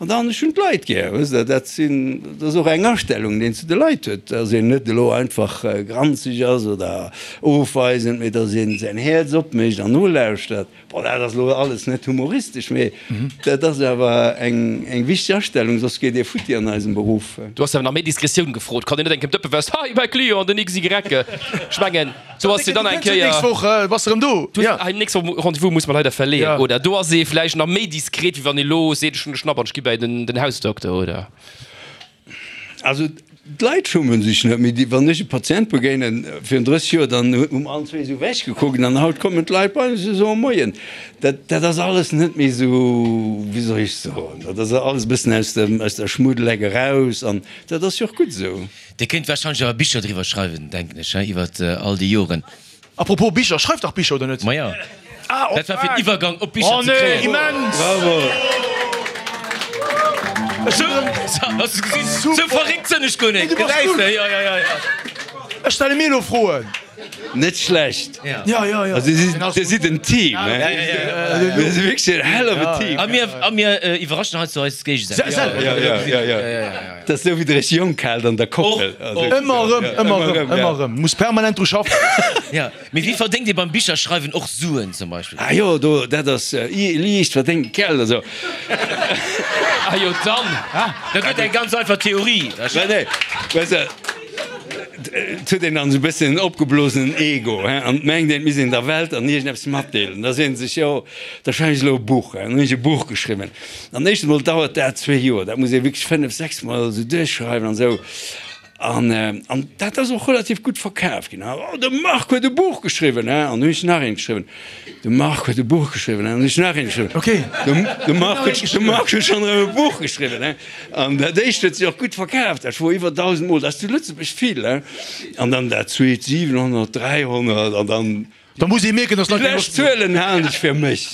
An dann, ech hunn d'Leit gär, wësst Der, dat sinn, dat ass och eng Astellung, déi een zu de Leit huet, dass een net elo einfach granzeg ass oder ofweisend, mee dass een säin Häerz opmécht an nolauschtert. Bon, dat ass elo alles net humoristesch, mee dat ass awer eng, eng wichteg Astellung, soss geet ee futti an eisem Beruff. Du has awer nach méi Diskretioun. Diskretioun gefrot. Kann een net eng Kéier dëppe west, Hei, mäi Client, den XY. Ech mengen, sou ass jo dann eng Kéier. D'nächst Woch bass de erëm do. Du, hei, nächst Woch Rendez-vous muss mer leider verleeën, oder? Do ass ee vläicht nach méi diskret, wéi wann ee lo seet, ech hunn e Schnapp an ech gi bäi den Hausdokter, oder? Also d'Leit schummen sech net méi. Wann ech e Patient begéinen, virun 30 Joer, dann hu mer allen zwee esou ewech gekuckt an haut kommen d'Leit bei ons a soe Moien. Dat, dat ass alles net méi esou, wéi soll ech soen, dat ass alles e bëssen aus dem, aus der Schmuddeleck eraus an dat ass jo och gutt esou. Dir kéint warscheinlech awer Bicher driwwer schreiwen, denken ech, he, iwwert all déi Joren. A propos Bicher, schreift dach Bicher, oder net? Maja, dat war fir den Iwwergang op Bicher ze kréien. Oh nee, immens! Bravo! Has du gesinn? Sou verréckt sënn ech guer net. Gesäis de? Jo, jo, jo, jo. Ech stelle mir elo Froen. Net schlecht. Ja, ja, ja. Also dir sidd en Team, he? Ja, ja, ja. Mir si wierklech en hell of a team. A mir, a mir iwwerraschen heiansdo eis géigesäiteg. Selwer. Ja, ja, ja, ja. Dat ass esou wéi de Rich Jonk haalt an der Koppel. Ëmmer erëm, ëmmer erëm, ëmmer erëm. Muss permanent dru schaffen. Ja, mee wéi verdéngt ee beim Bicherschreiwen och Suen zum Beispill? Ah jo, do, dat ass liicht verdéngt Geld, also. Ah jo, dann. Dat gëtt eng ganz einfach Theorie. Nee, nee, weess de, et huet een dann esou e bëssen en opgeblosenen Ego, hein, an et mengt een, et misst een der Welt an iergendeppes matdeelen. Da seet een sech, jo, da schreiwen ech elo e Buch, hein. Dann hunn ech e Buch geschriwwen. An éischt emol dauert dat zwee Joer, dat muss ee wierklech fënnef, sechs Mol esou duerchschreiwen an esou. An, an dat ass och relativ gutt verkaf ginn. Oh, de Marc huet e Buch geschriwwen, hein. An hunn ech nach eent geschriwwen. De Marc huet e Buch geschriwwen, hein. An hunn ech nach eent geschriwwen. Okay. De, de Marc huet, de Marc huet schonn erëm e Buch geschriwwen, hein. An dat éischt huet sech och gutt verkaf, dat wor iwwer 1.000 Mol, dat ass zu Lëtzebuerg vill, hein. An dann dat zweet 700, 300 an dann. Da muss ee mierken, dass Leit Déi lescht Zuelen halen ech fir mech.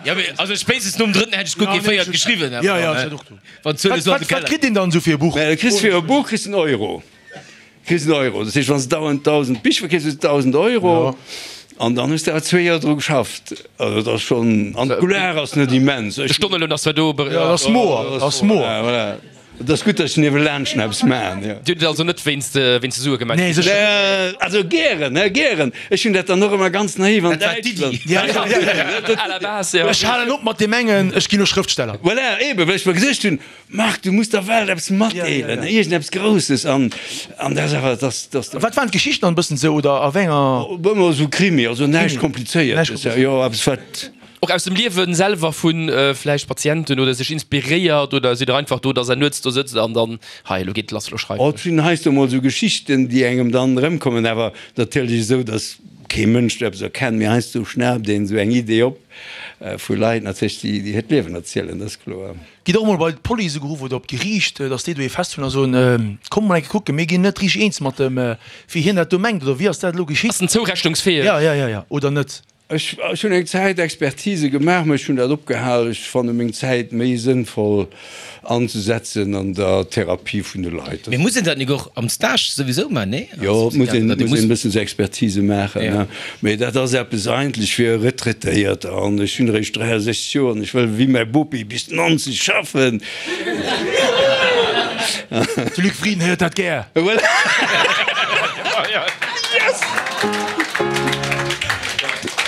Jo, mee also spéitstens nom drëtten hätt ech guer kee véiert geschriwwen. Jo, jo, ech hätt och do. Wann d'Zuele sou an de Wat Keller. kritt een dann esou fir e Buch? Du kriss fir e Buch kriss en Euro. Kriss en Euro. Dat heescht, wann s de dauernd 1.000 Bich verkeefs, hues de 1.000 Euro. An dann hues de awer zwee Joer dru geschafft. Also dat ass schonn, an d'Couleur ass net immens. De Stonneloun ass zwar do. Jo, dat ass moer, dat ass moer. Voilà. Et ass gutt, datt ech niewelaanscht nach eppes maachen, jo. Dir hutt et also net wéinst de Sue gemaach? Nee, sécher. Also gären, he, gären. Ech hunn dat dann och ëmmer ganz naiv an Dat war d'Iddi. Däitschland. À la base, jo. Ech halen op mat deem engen, ech ginn elo Schrëftsteller. Voilà, eeben, well ech mer geduecht hunn, Marc, du muss der Welt eppes matdeelen, iergendeppes Grousses. An, an dat ass awer, dass, dass. Wat waren d'Geschichten dann e bëssen esou, oder a wéi enger. Ëmmer esou Krimi, also näischt Komplizéiertes, jo, eppes wat. Och aus dem Liewen selwer vu vläicht Patienten oder sech inspiréiert oder sidd der einfach do, dass der nuets do sëtzt an dann, hei elo geet et lass, elo schreiwen ech. Et sinn heiansdo mol esou Geschichten, déi engem dann erëmkommen, awer natierlech esou, dass kee Mënsch do eppes erkennt, mee heiansdo schnaapt een esou eng Idee op vu Leit natierlech, déi hiert Liewen erzielen, dat ass kloer. Gitt och mol bei d'Police geruff oder op d'Geriicht, dass déi do ee festhunn a soen, Kommt mol eng Kéier kucken, mir ginn net richteg eens mat dem, wéi hien dat do mengt oder wéi ass dat elo geschitt? Ass en zourechnungsfäeg? Ja, ja, ja, ja, oder net? Ech hunn eng Zäit Expertise gemaach, mä ech hunn dat opgehal. Ech fanne meng Zäit méi sënnvoll anzesetzen an der Therapie vun de Leit. Mee muss een dat nik och am Stage souwisou man, nee? Jo, et muss een e bëssen esou Expertise maachen, mä dat ass eppes eigentlech fir Retraitéierter. An ech hunn eréischt 63 Joer an ech wëll wéi mäi Bopi bis 90 schaffen. De Luc Frieden héiert dat gär. Voilà. Yes!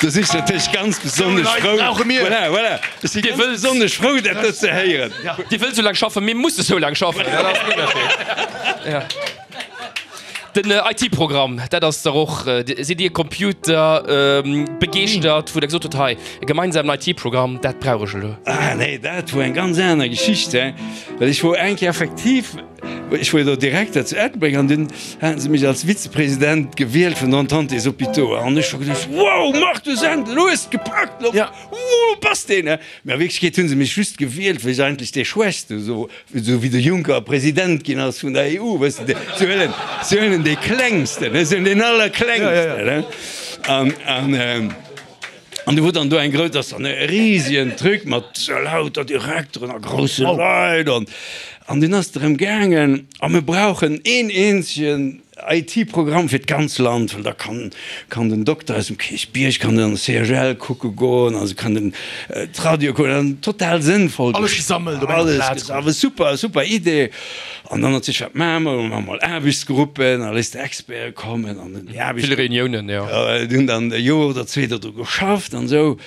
Do si ech natierlech ganz besonnesch frou. Voilà, voilà. Ech si ganz besonnesch frou, dat do ze héieren. Dir wëllt esou laang schaffen, mir musse sou laang schaffen. Dat ass den Ënnerscheed. Ja. Den IT-Programm, dat ass dach och, sidd Dir Computer begeeschtert, wou Der gesot hutt, hei, e gemeinsamen IT-Programm, dat brauch ech elo? Ah nee, dat wor eng ganz aner Geschicht, hein. Well ech wor eng Kéier effektiv, ech wor jo do Direkter zu Ettelbréck an dunn haten se mech als Vizepresident gewielt vun der Entente des Hôpitaux an ech hu geduecht, wow, Marc, du Sendel, elo hues de et gepackt, elo, wou bass de, ne? Mä a Wierklechkeet hu se mech just gewielt, well ech eigentlech dee Schwächste, esou wéi de Juncker President ginn ass vun der EU, wësst de, se huelen, se huelen dee Klengsten, ne, se huelen deen Allerklengsten, ne. An, an, an du wor dann do eng grouss, dat ass dann e risegen Truc mat lauter Direkteren a grousse Leit an, an dunn ass et drëm gaangen, a mir brauchen een eenzegen IT-Programm fir d'ganz Land, well da kann kann den Dokter aus dem Kierchbierg kann an de CHL kucke goen a se kann den d'Radio kucken an total sënnvoll. Alles gesammelt op enger Plaz. Alles gesammelt, super, super Idee. An dann natierlech, wat maache mer? Maache mer mol Aarbechtsgruppen a léisst Experte kommen an dann déi Aarbechts. Vill Reuniounen, jo. Déi hunn dann e Joer oder zwee dodru geschafft an esou.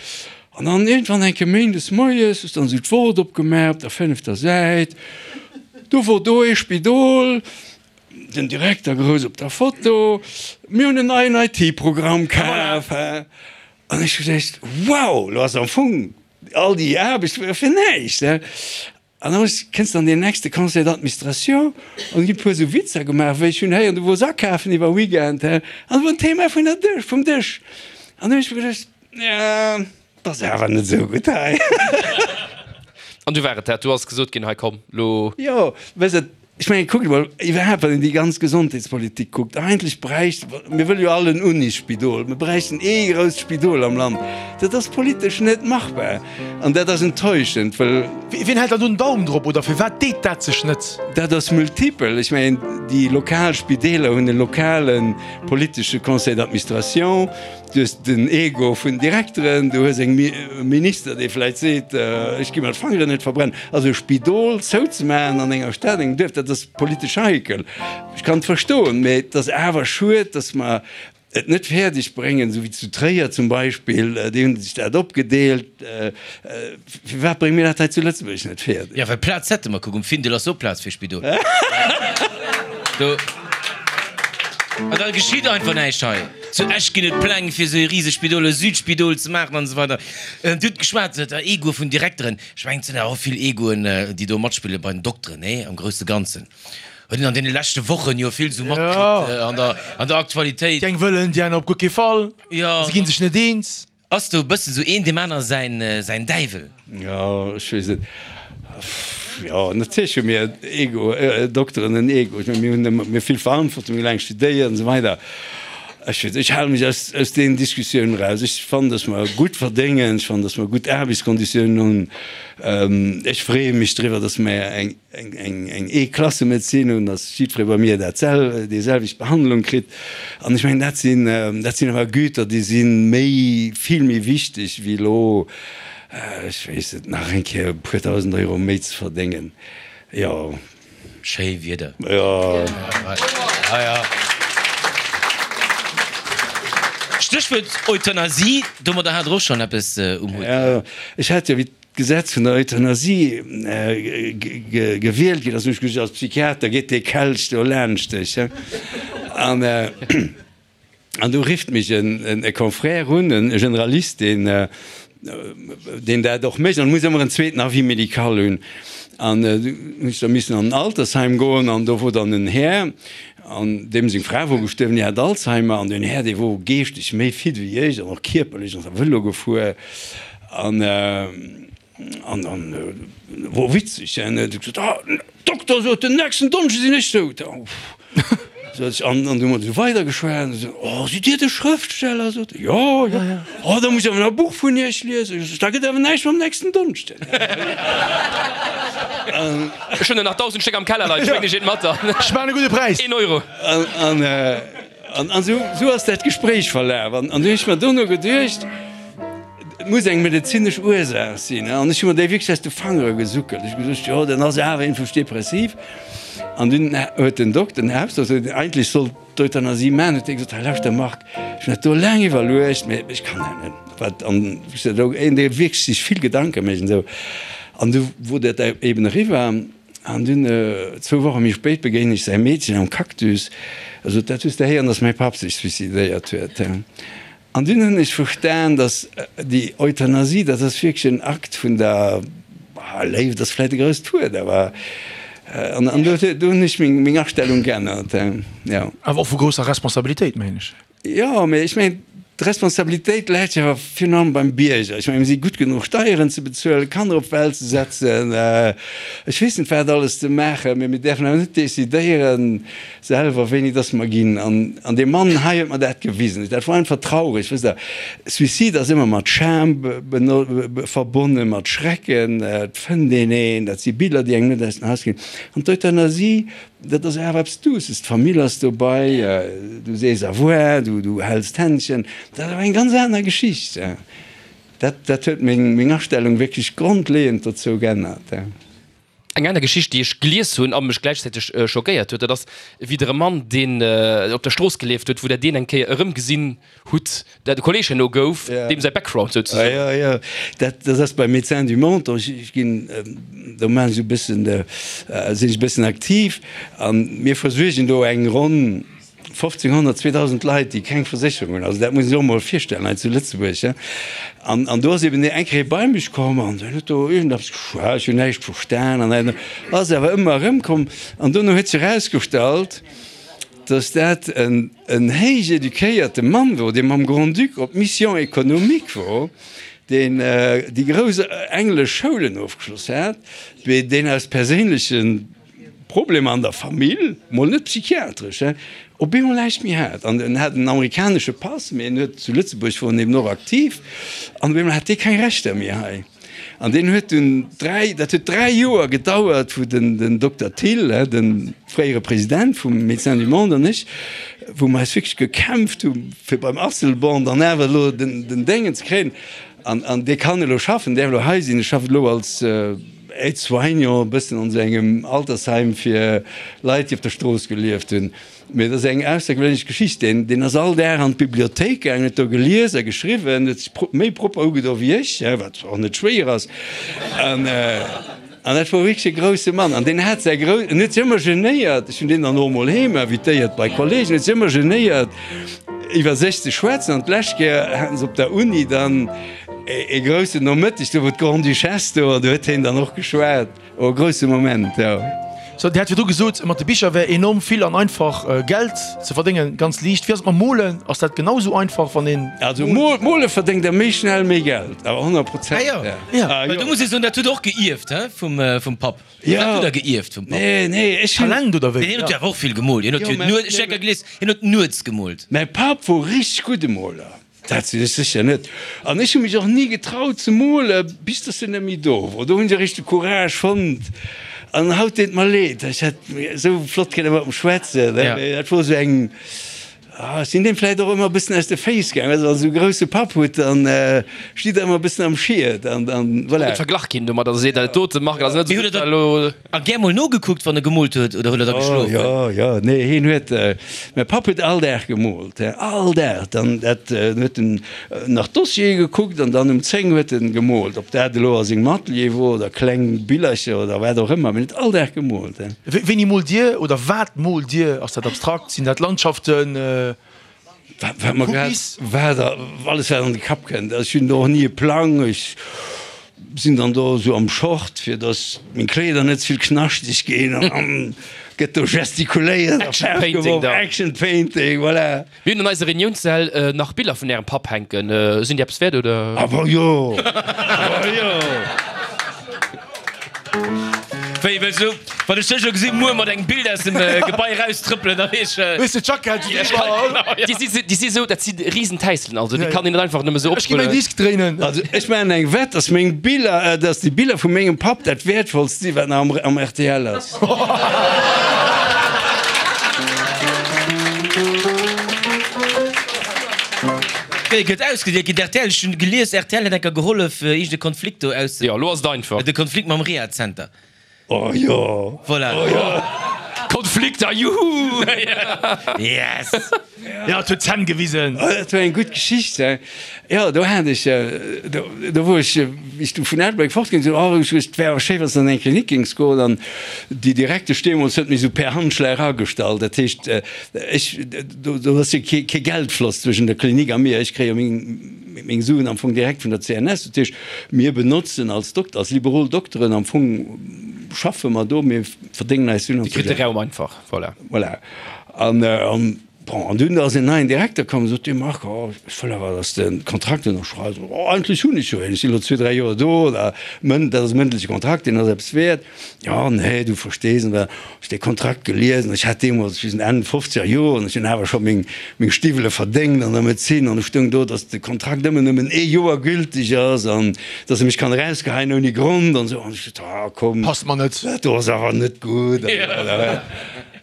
An dann iergendwann eng Kéier méindes moies hues dann esou d'Wort opgemaach op der fënnefter Säit. Do wor do ee Spidol, den Direkter grouss op der Foto, mir hunn en neien IT-Programm kaf. An ech hu geduecht, wow, lo ass am Fong all déi Aarbecht fir näischt. An da kënns de an deen nächste Conseil d'administration an ginn e puer esou Witzer gemaach, wéi ech hunn héieren, du wors akafen iwwer Weekend, an da wor en Thema vun der Dësch, vum Dësch. An da hunn ech mer geduecht, jo, 't ass awer net esou gutt hei. An du war et dat, du ass gesot ginn, hei komm, lo. Jo, weess de, Ech mengen, kuckt emol, iwwerhaapt, wann een déi ganz Gesondheetspolitik kuckt, eigentlech bräicht, mir wëlle jo all en Unisspidol, mir bräichten ee grousst Spidol am Land. Dat ass politesch net machbar an dat ass enttäuschend, well. Wien hält dann do den Daum drop oder firwat deet dat sech net? Dat ass multipel. Ech mengen, déi lokal Spideeler hunn e lokale politesche Conseil d'administration. Du hues den Ego vun Direkteren, du hues eng Minister, dee vläicht seet, ech gi mer d'Fangeren net verbrennen. Also e Spidol zouzemaachen an enger Stad, engem Duerf, dat ass politesch heikel. Ech kann et verstoen, mä et ass awer schued, datt mer et net fäerdeg bréngen, esou wéi zu Tréier zum Beispill, déi hunn sech dat opgedeelt. Firwat brénge mir dat hei zu Lëtzebuerg net fäerdeg? Jo, well Plaz hätte mer. Kuck, um Findel ass och Plaz fir e Spidol. Do. An da geschitt einfach näischt hei. Zu Esch ginn et Pläng fir esou e risegt Spidol, e Südspidol ze maachen an esou weider. Dir hutt geschwat, der Egoe vun Direkteren. Ech mengen, et sinn awer och vill Egoen, déi do matspille bei den Dokteren, nee, am grousse Ganzen. Huet een an deene leschte Wochen jo vill esou matkritt an der, an der Aktualitéit. Déi eng wëllen, déi aner op guer kee Fall. Se gi sech net eens. Ass do e bëssen sou een deem aner säin säin Däiwel? Jo, ech weess net. Jo, natierlech hu mir Ego, Dokteren en Ego. Ech menge mir hunn ëmmer, mir hu vill Verantwortung, mir hu laang studéiert an esou weider. Ech weess, ech hale mech aus aus deenen Diskussiounen eraus. Ech fannen, datt mer gutt verdéngen, ech fannen, datt mer gutt Aarbechtskonditiounen hunn. Ech freeë mech driwwer, datt mer eng eng E-Klasse-Medezin hunn, datt jiddweree bei mir dat sel, déi selwecht Behandlung kritt. An ech mengen, dat sinn, dat sinn awer Güter, déi si méi, vill méi wichteg wéi elo, ech weess net, nach eng Kéier e puer 1.000 Euro méi ze verdéngen. Jo. Schéi Wieder. Jo. Ja, ja. Stéchwuert Euthanasie, domadder hat Der och schonn eppes um Hutt. Jo, ech hat jo, wéi d'Gesetz vun der Euthanasie gewielt ginn ass, hunn ech gesot, als Psychiater geet dee Kelch do laanscht dech. An, an du rifft mech e Confrère un, e Generalist, deen, deen dat och mécht, an muss ëmmer en zweeten Avis médical hunn. An du hunn ech da missen an en Altersheim goen, an do wor dann en Här, an deem seng Fra wor gestuerwen, déi hat Alzheimer, an deen Här, dee wor geeschteg méi fit wéi ech an och kierperlech, an ass Vëlo gefuer. An an an wor witzeg, en huet gesot, ah, Dokter, sot en, nächsten Donneschde sinn ech dout. Sot ech, an an du hu mer esou weidergeschwat, an esou, oh, sidd Dir de Schrëftsteller? Sot e, jo, jo. Oh, da muss ech awer nach e Buch vun Iech liesen. Ech sot, da gëtt awer näischt mam nächsten Donneschden. Ech hunn der nach 1.000 Stéck am Keller leien, ech bréngen Iech eent mat dann. Ech maachen e gudde Präis. Een Euro. An an an esou esou ass dat Gespréich verlaf. An an du hunn ech mer dono geduecht, Et muss eng medezinesch Ursaach sinn. An ech hu mer déi wierklech aus de Fangere gesuckelt. Ech hu gesot, jo, dann ass e awer iergendwousch depressiv. An dunn huet den Dokter, den Hausdokter, deen eigentlech sollt d'Euthanasie maachen, huet dee gesot, hei lauschter Marc, ech hunn dat do laang iwwerluecht, mee ech kann dat net. Wat an ech sot, een, dee wierklech sech vill Gedanke mécht an esou. An du wor dat eben eriwwer. An dunn, zwou Woche méi spéit, begéinen ech säi Meedchen am Cactus. E sot, dat hues de héieren, datt mäi Papp sech suicidéiert huet. An dunn hunn ech verstan, dass déi Euthanasie, dat ass wierklech en Akt vun der Léift, ass vläicht e grousst Wuert, awer an an do do hunn ech meng meng Astellung geännert, jo. Awer och vu grousser Responsabilitéit, mengen ech. Jo, mee ech mengen, d'Responsabilitéit läit jo awer virun allem beim Bierger. Ech mengen, mir si gutt genuch Steieren ze bezuelen, Kanner op d'Welt ze setzen, ech weess net wat alles ze maachen, mee mir däerfen awer net decidéieren, Selwer wéini dass mer ginn. An, an dee Mann hei huet mer dat gewisen. Dat wor einfach traureg, wësst Der. Suicide ass ëmmer mat Scham verbonnen, mat Schrecken. Et fënnt een een, dat si Biller, déi engem net aus den Haus ginn. An d'Euthanasie, dat ass awer eppes Douces. D'Famill ass dobei, du sees au revoir, du, du häls d'Händchen. Dat ass awer eng ganz aner Geschicht. Dat, dat huet meng, meng Astellung wierklech grondleeënd dozou geännert. Eng aner Geschicht, déi ech gelies hunn a mech gläichzäiteg schockéiert huet, dat ass wéi der e Mann, deen op der Strooss gelieft huet, wou der deen eng Kéier erëmgesinn hutt, dat e Kolleeg herno gouf, deem säi Background souzesoen. Jo, jo, dat, dat ass bei Médecins du Monde. Ech ginn, do maachen ech e bëssen, sinn ech e bëssen aktiv a mir versuergen do eng ronn 1.500, 2.000 Leit, déi keng Versécherung hunn. Also dat muss ee sech och emol virstellen hei zu Lëtzebuerg. An, an do ass eben eng Kéier ee bei mech komm an deen huet do iergendeppes geschwat, ech hunn näischt verstan an en ass awer ëmmer erëmkomm. An dono huet sech erausgestallt, dass dat en, en héich eduquéierte Mann wor, dee mam Grand-Duc op Mission économique wor, deen déi grouss englesch Schoulen ofgeschloss hat, mee deen aus perséinlechen Problemer an der Famill, mol net psychiatresch, he, op eemol näischt méi hat. An en hat en amerikanesche Pass, mee en huet zu Lëtzebuerg wor en eben och aktiv, an op eemol hat dee keng Rechter méi hei. An deen huet dunn 3, dat huet 3 Joer gedauert, wou den, den Dokter Thill, he, de fréiere President vum Médecins du Monde an ech, wou mer eis wierklech gekämpft hu fir beim Asselborn dann awer elo den, den Déngen ze kréien. An, an dee kann elo schaffen, däerf elo hei sinn, e schafft elo als, Aide-soignant, e bëssen an esou engem Altersheim fir Leit, déi op der Strooss gelieft hunn. Mee et ass eng aussergewéinlech Geschicht. Deen, deen ass all Dag an d'Bibliothéik gaangen, huet do gelies a geschriwwen, huet sech méi propper ugedo wéi ech, wat och net schwéier ass. An, an dat wor wierklech e grousse Mann. An deen hat säi grou, en huet sech ëmmer genéiert, ech hunn deen dann och emol heem invitéiert bei Kollegen, huet sech ëmmer genéiert, iwwer sech ze schwätzen. An d'lescht Kéier haten se op der Uni dann, E groussen Nomëtteg, do wor d'Grande-Duchesse do an do huet hien dann och geschwat. Oh, e grousse Moment, jo. Sou, Dir hat virdru gesot, mat de Bicher wär enorm vill an einfach Geld ze verdéngen, ganz liicht. Wéi ass et mam Molen? Ass dat genau sou einfach, wann een moolt? Also mole verdéngt der méi schnell méi Geld, awer 100 Prozent. Ah jo, jo. Well do muss ee soen, dat hutt Der och geierft, he, vum Papp. Jo. Dat hutt Der geierft vum Papp. Nee, nee, ech hunn. Talent oder wéi? Hien huet jo awer och vill gemoolt. Hien huet jo nuets, ech hu gelies, hien huet nuets gemoolt. Mäi Papp wor richteg gudde Moler. Dat sinn ech sécher net. An ech hu mech och ni getraut ze mole bis dass en net méi do wor. Do hunn ech eréischt de Courage fonnt. An haut deet mer leed, ech hätt esou flott kënne mat em schwätzen. Mee dat wor esou eng, ech sinn deem vläicht och ëmmer e bëssen aus de Féiss gaangen. Well wann der esou e grouse Papp hutt, dann stitt der ëmmer e bëssen am Schiet an dann, voilà. Net verglach ginn domat, also seet dat dote Marc ass net esou gutt, well elo. A gär mol nogekuckt, wann e gemoolt huet, oder huet e da geschlof? Jo, jo, nee, hien huet, mäi Papp huet all Dag gemoolt, all Dag. Dann dat huet en nach d'Dossiere gekuckt an dann um 10 huet en gemoolt. Ob dat elo a sengem Atelier wor oder kleng Billercher oder wat och ëmmer, mee en huet all Dag gemoolt. Wéini moolt Dir oder wat moolt Dir? Ass dat abstrakt? Sinn dat Landschaften? Wat mer grad, wat alles wat an de Kapp kënnt. Ech hunn do och ni e Plang. Ech sinn dann do esou am Short, fir datt meng Kleeder net ze vill knaschteg ginn an gëtt do gestikuléiert a Action Painting da. Action Painting, voilà. Mir hunn an eiser Reuniounssäll nach Biller vun Ärem Papp hänken. Sinn déi eppes wäert, oder? Awer jo! Awer jo! Wéi wëlls du, wann ech dech elo gesinn, muer mat engem Bild aus dem Gebai eraustrëppelen, da weess ech. Hues de d'Jackett iwwerall? Déi si, déi si sou, dat si Risentäisselen, also déi kann een net einfach nëmme sou Ech gi mäin optrullen. Disk dréinen. Also ech maachen eng Wett, dass meng Biller, dass déi Biller vu mengem Papp dat wäertvollst si wat nach am, am rtl ass. Wéi gëtt ausgedeelt ginn? D'RTL, ech hunn gelies, rtl hätt enker gehollef, iergend e Konflikt do aus. Jo, elo ass et einfach. De Konflikt mam Rehazenter. Oh jo! Voilà. Oh jo! Konflikter, juhu! Yes! Jo, et huet d'Zänn gewisen. Oh, dat war eng gutt Geschicht, he. Jo, do hat ech, do, do wor ech, wéi ech du vun Ettelbréck fortginn sinn, oh, ech et wär awer schéi, wann s de an eng Klinik géings goen. An déi Direktesch deemools huet mech esou per Handschlag agestallt. Dat heescht, ech, do, do ass jo kee, kee Geldfloss zwëschen der Klinik a mir. Ech kréie jo meng, meng Suen am Fong direkt vun der CNS. Dat heescht, mir benotzen als Dokter, als liberol Dokteren am Fong schaffe mer do, mir verdéngen eis Suen Dir kritt de Raum einfach, voilà. Voilà. An, an, bon, an dunn ass en neien Direkter komm, sot dee Marc, oh, ech wëll awer, dass de de Kontrakt ënnerschreifs. Oh, eigentlech hunn ech jo een, ech sinn elo zwee, dräi Joer do, da mënd, dat ass e mëndleche Kontrakt, deen ass eppes wäert. Jo, nee, du verstees, an da hu ech dee Kontrakt gelies an ech hat deemools, ech weess net, Enn fofzeger Joer, an ech hunn awer scho meng, meng Stiwwele verdéngt an der Medezin an do stoung do, dass de Kontrakt ëmmer nëmmen ee Joer gülteg ass an dass e mech kann erausgeheien ouni Grond an esou. An ech sot, ah, komm, Passt mer net. dat do ass awer net gutt.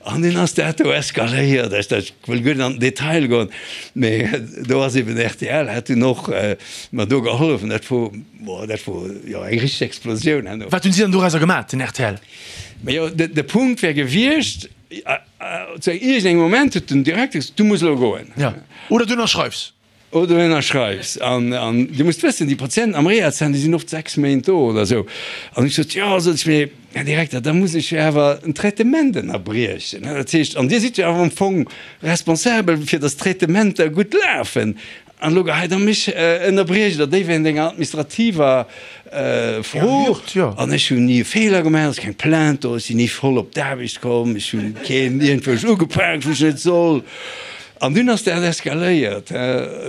An dunn ass dat do eskaléiert. Ech ech wëll guer net an den Detail goen, mee do ass eben rtl hat dunn och mer do gehollef an dat wor, boah, dat wor jo eng richteg Explosioun herno. Wat hunn si dann dorauser gemaat, den rtl? Majo, de Punkt wär gewiescht, zu iergendengem Moment huet den Direkter gesot, du muss elo goen. Ja, oder du ënnerschreifs. Oder du ënnerschreifs. An, an Dir musst wëssen, déi Patienten am Rehazenter, déi sinn oft 6 Méint do oder esou. An ech sot, jo, sot ech, mee Här Direkter, da muss ech jo awer en Traitement ënnerbriechen. Dat heescht, an Dir sidd jo awer am Fong responsabel, fir datt d'Traitementer gutt lafen. An elo geheit Der mech, ënnerbriecht Der déi wéinst enger administrativer Fro. An ech hunn ni e Feeler gemaach, et ass keng Plainte do, ech sinn ni voll op d'Aarbecht komm, ech hunn keen iergendwousch ugepaakt, wou ech net soll. An dunn ass dat eskaléiert.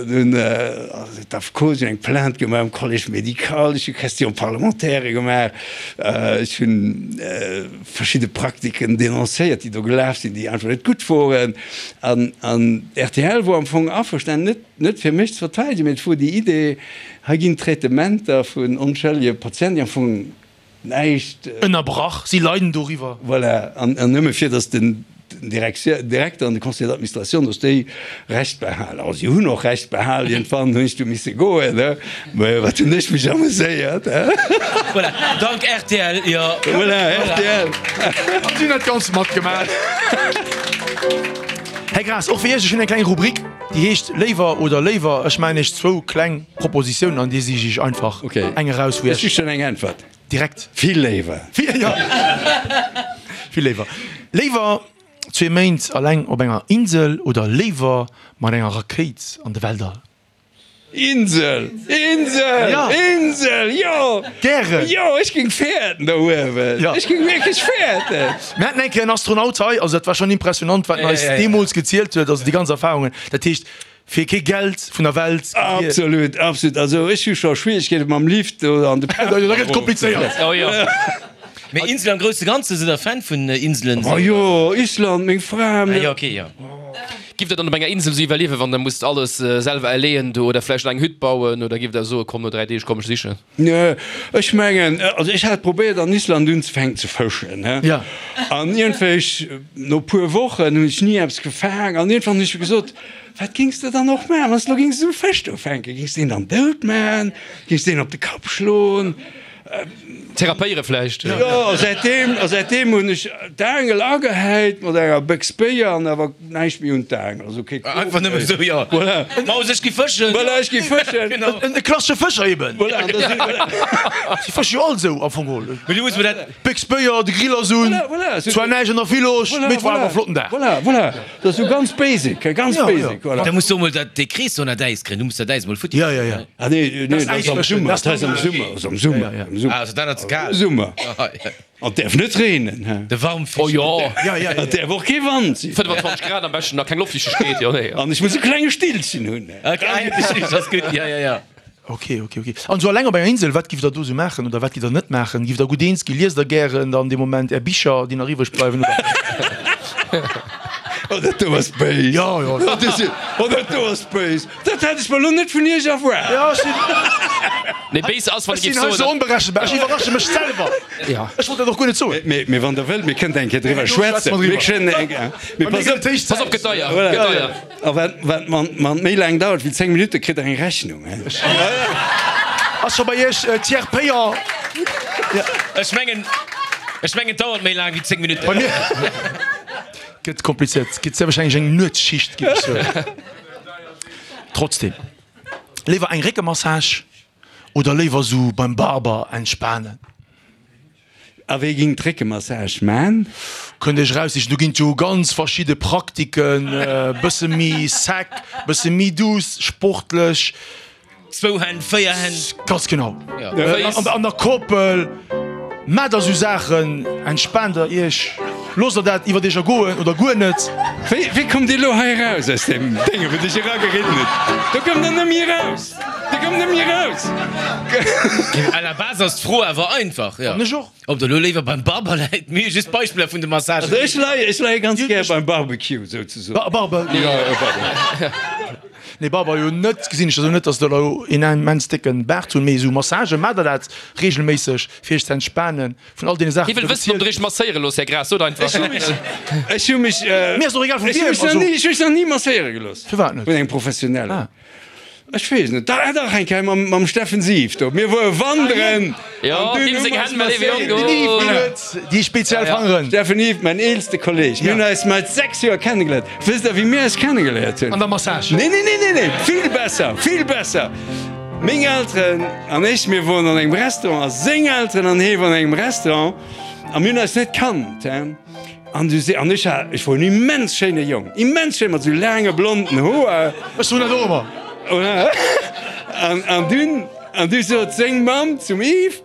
Dunn ass d'AFCO, si hunn eng Plainte gemaach um Collège médical, ech hu Question-parlementairë gemaach, ech hu verschidde Praktiken denoncéiert, déi do gelaf sinn, déi einfach net gutt woren. An rtl wor am Fong averstanen, net, net fir mech ze verteidegen, mee et wor déi Idee, hei ginn Traitementer vun onschëllege Patienten, déi am Fong näischt. Ënnerbrach, si leiden doriwwer. Voilà, an nëmme fir datt den Direkter an de Conseil d'administration, datt déi Recht behalen. Also si hunn och Recht behalen, iergendwann hunn ech du misse goen, ne? Mä wat hunn ech mech ameséiert, he? Voilà, dank rtl, jo. Voilà, rtl. An si hunn dat Ganzt matgemaach. Här Graas, och fir Iech, ech hunn eng kleng Rubrik, déi heescht Léiwer oder léiwer. Ech maachen Iech zwou kleng. Propositioun an dir sich iech einfach eng eraus wou Ech hu schon eng Äntwert. Direkt. Vill léiwer. Vill, jo. Vill léiwer. Léiwer zwee Méint alleng op enger Insel oder léiwer mat enger Rakéit an de Weltall? Insel! Insel! Ja. Insel! Jo! Gären! Jo, ech géing fäerten do uewen. Ja. Ech géing wierklech fäerten. Mir haten eng Kéier en Astronaut hei, also dat war schon impressionant, wat en eis deemools gezielt huet, also déi ganz Erfahrungen. Dat heescht, Fir kee Geld vun der Welt. Absolut, absolut. Also ech hu scho Schwierigkeete mam Lift oder an de Da gëtt et komplizéiert. Oh jo. Mee Insel am grousse Ganze, sidd der Fan vun Inselen? Oh jo, Island, meng Fra. Ah jo, ok, jo. Giff der dann op enger Insel sou iwwerliewen, wann der musst alles selwer erleeën do oder vläicht eng Hütt bauen oder giff der soe komm no 3 Deeg komm ech sichen? Nö, ech mengen, also ech hat probéiert an Island unzefänken ze fëschen, he. Ja. An iergendwéi no puer Wochen hunn ech ni eppes gefaang an iergendwann hunn ech gesot, Wat géings de dann och maachen, wann s de elo géings esou e Fësch do fänken? Géings de deen dann dout maachen? Géings de deen op de Kapp schloen? Therapéiere vläicht? Jo, a säitdeem, a säitdeem hunn ech d'Aangel agehäit mat enger Béchs Béier an awer näischt méi un d'Aangel, also kee Krop Einfach nëmmen méi. esou, jo. Voilà. Maus, ech gi fëschen. Voilà, ech gi fëschen. Genau. En klassesche Fëscher eben. Voilà, an da sinn, voilà. Si fësche jo all esou am Fong geholl. Mee du muss mer dat. Béchs Béier, de Grill ass un. Voilà, voilà. Zwar näischt an der Village, Voilà, mee et war voilà. awer e flotten Dag. Voilà, voilà. Dat ass sou ganz basic, ganz Ja, basic, ja. voilà. Da muss du emol dat, dee Krees do an dat Äis kréien. Du muss dat Äis emol futti Ja, ja, ja. Ah nee, nee, dat ass am Summer, Das dat ass am Summer, dat ass am Summer, Ja, ja. am Summer. Ah, also dat ass ze kal. Summer. Ah, ja. An et däerf net reenen, he. De Warmfisch. Oh jo. Ja, ja, ja. Et däerf och kee Wand sinn. 25 Grad am beschten, nach keng Loftfiichtegkeet, jo nee. An ech muss e klenge Stillchen hunn, he. Okay, dat ass gutt, ja, ja, ja. Ok, ok, ok. An esou alleng op enger Insel, wat giff der do esou maachen oder wat giff der net maachen? Giff der gutt eens ginn? Liest der gären dann dee Moment är Bicher, déi nach iwwreg bleiwen, oder? Oh, dat do ass béis! Jo, jo. Oh, dat si, oh, dat do ass béis! Dat hätt ech mer elo net vun iech erwaart! Jo, ech sinn. Nee, béis ass, wann Ech ee géif sinn hei soen, sou onberechenbar. Ech iwwerrasche mech selwer. Ja. Ech wollt dat och guer net soen. Mee, mee wann der wëllt, mir kënnten eng Kéier driwwer Jo, schwätze schwätzen. mer driwwer. Mir kënnen eng, mee Bei mir pass gëtt op. et héich Pass op, Zäit. gëtt deier, Voilà. gëtt deier. A wat, wat wann, wann et méi laang dauert wéi 10 Minutten, kritt der eng Rechnung, he? Ass scho bei Iech Tiers payant? Ech mengen, ech mengen, et dauert méi laang wéi 10 Minutten. Bei mir gëtt komplizéiert. Gëtt sehr wahrscheinlech eng Nuetsschicht, géif ech soen. Trotzdem, léiwer eng Réckemassage oder léiwer sou beim Barber entspanen? A wéi ging d'Réckemassage man? Kënnt Iech eraussichen, do ginn et jo ganz verschidde Praktiken, bësse méi sec, bësse méi douce, sportlech. Zwou Hänn, véier Hänn. Ganz genau. Ja. An der Koppel maacht der sou Saachen, entspaant der Iech, loosst der dat iwwert Iech ergoen oder guer net. Wéi, wéi kommt Dir elo hei eraus aus deem Dénge wou Dir iech erageridden hutt? Do kommt Der net méi eraus! Dir kommt net méi eraus! À la base ass d'Fro awer einfach, jo. An ech och. Ob der elo léiwer beim Barber läit, mir hu just Beispiller vun de Massagen. Also ech leie, ech leie ganz gär beim Barbecue souzesoen. Barbe. Jo, Barbe. Nee, Barber jo net, gesinn ech also net, dass der elo een immens décke Baart hunn, mee esou Massagen, maacht der dat regelméisseg fir iech ze entspanen vun all deene Saachen, Hie wëll wëssen, ob der iech masséiere loosst, Här Graas, sot einfach. Ech hu mech, Mir ass och egal vu ech hu wiem, mech nach also. ni, ech hu mech nach ni masséiere gelooss. Firwat net? Vun engem Professionellen. Ah. Ech weess net, da dach eng Kéier mam, mam Steffen Sief do. Mir woe wanderen Jo, an dunn deem hu seng mer eis Hänn, mä léiwe Jong, masséiert. Den Yves, deen huet déi speziell Fangeren. Steffen Yves, mäin eelste Kolleg. Mir hunn eis mat 6 Joer kennegeléiert. Wësst der, wéi mir eis kennegeléiert hunn? An der Massage. Nee, nee, nee, nee, nee, vill besser, vill besser. Meng Elteren an ech, mir woren an engem Restaurant a seng Elteren an hie woren an engem Restaurant a mir hunn eis net kannt, hein. An du se, an ech hat, ech wor en immens schéine Jong, immens schéin, mat sou laange blonden Hoer. Ech soen dat och ëmmer. An, an dunn, an du sot seng Mamm zum Yves,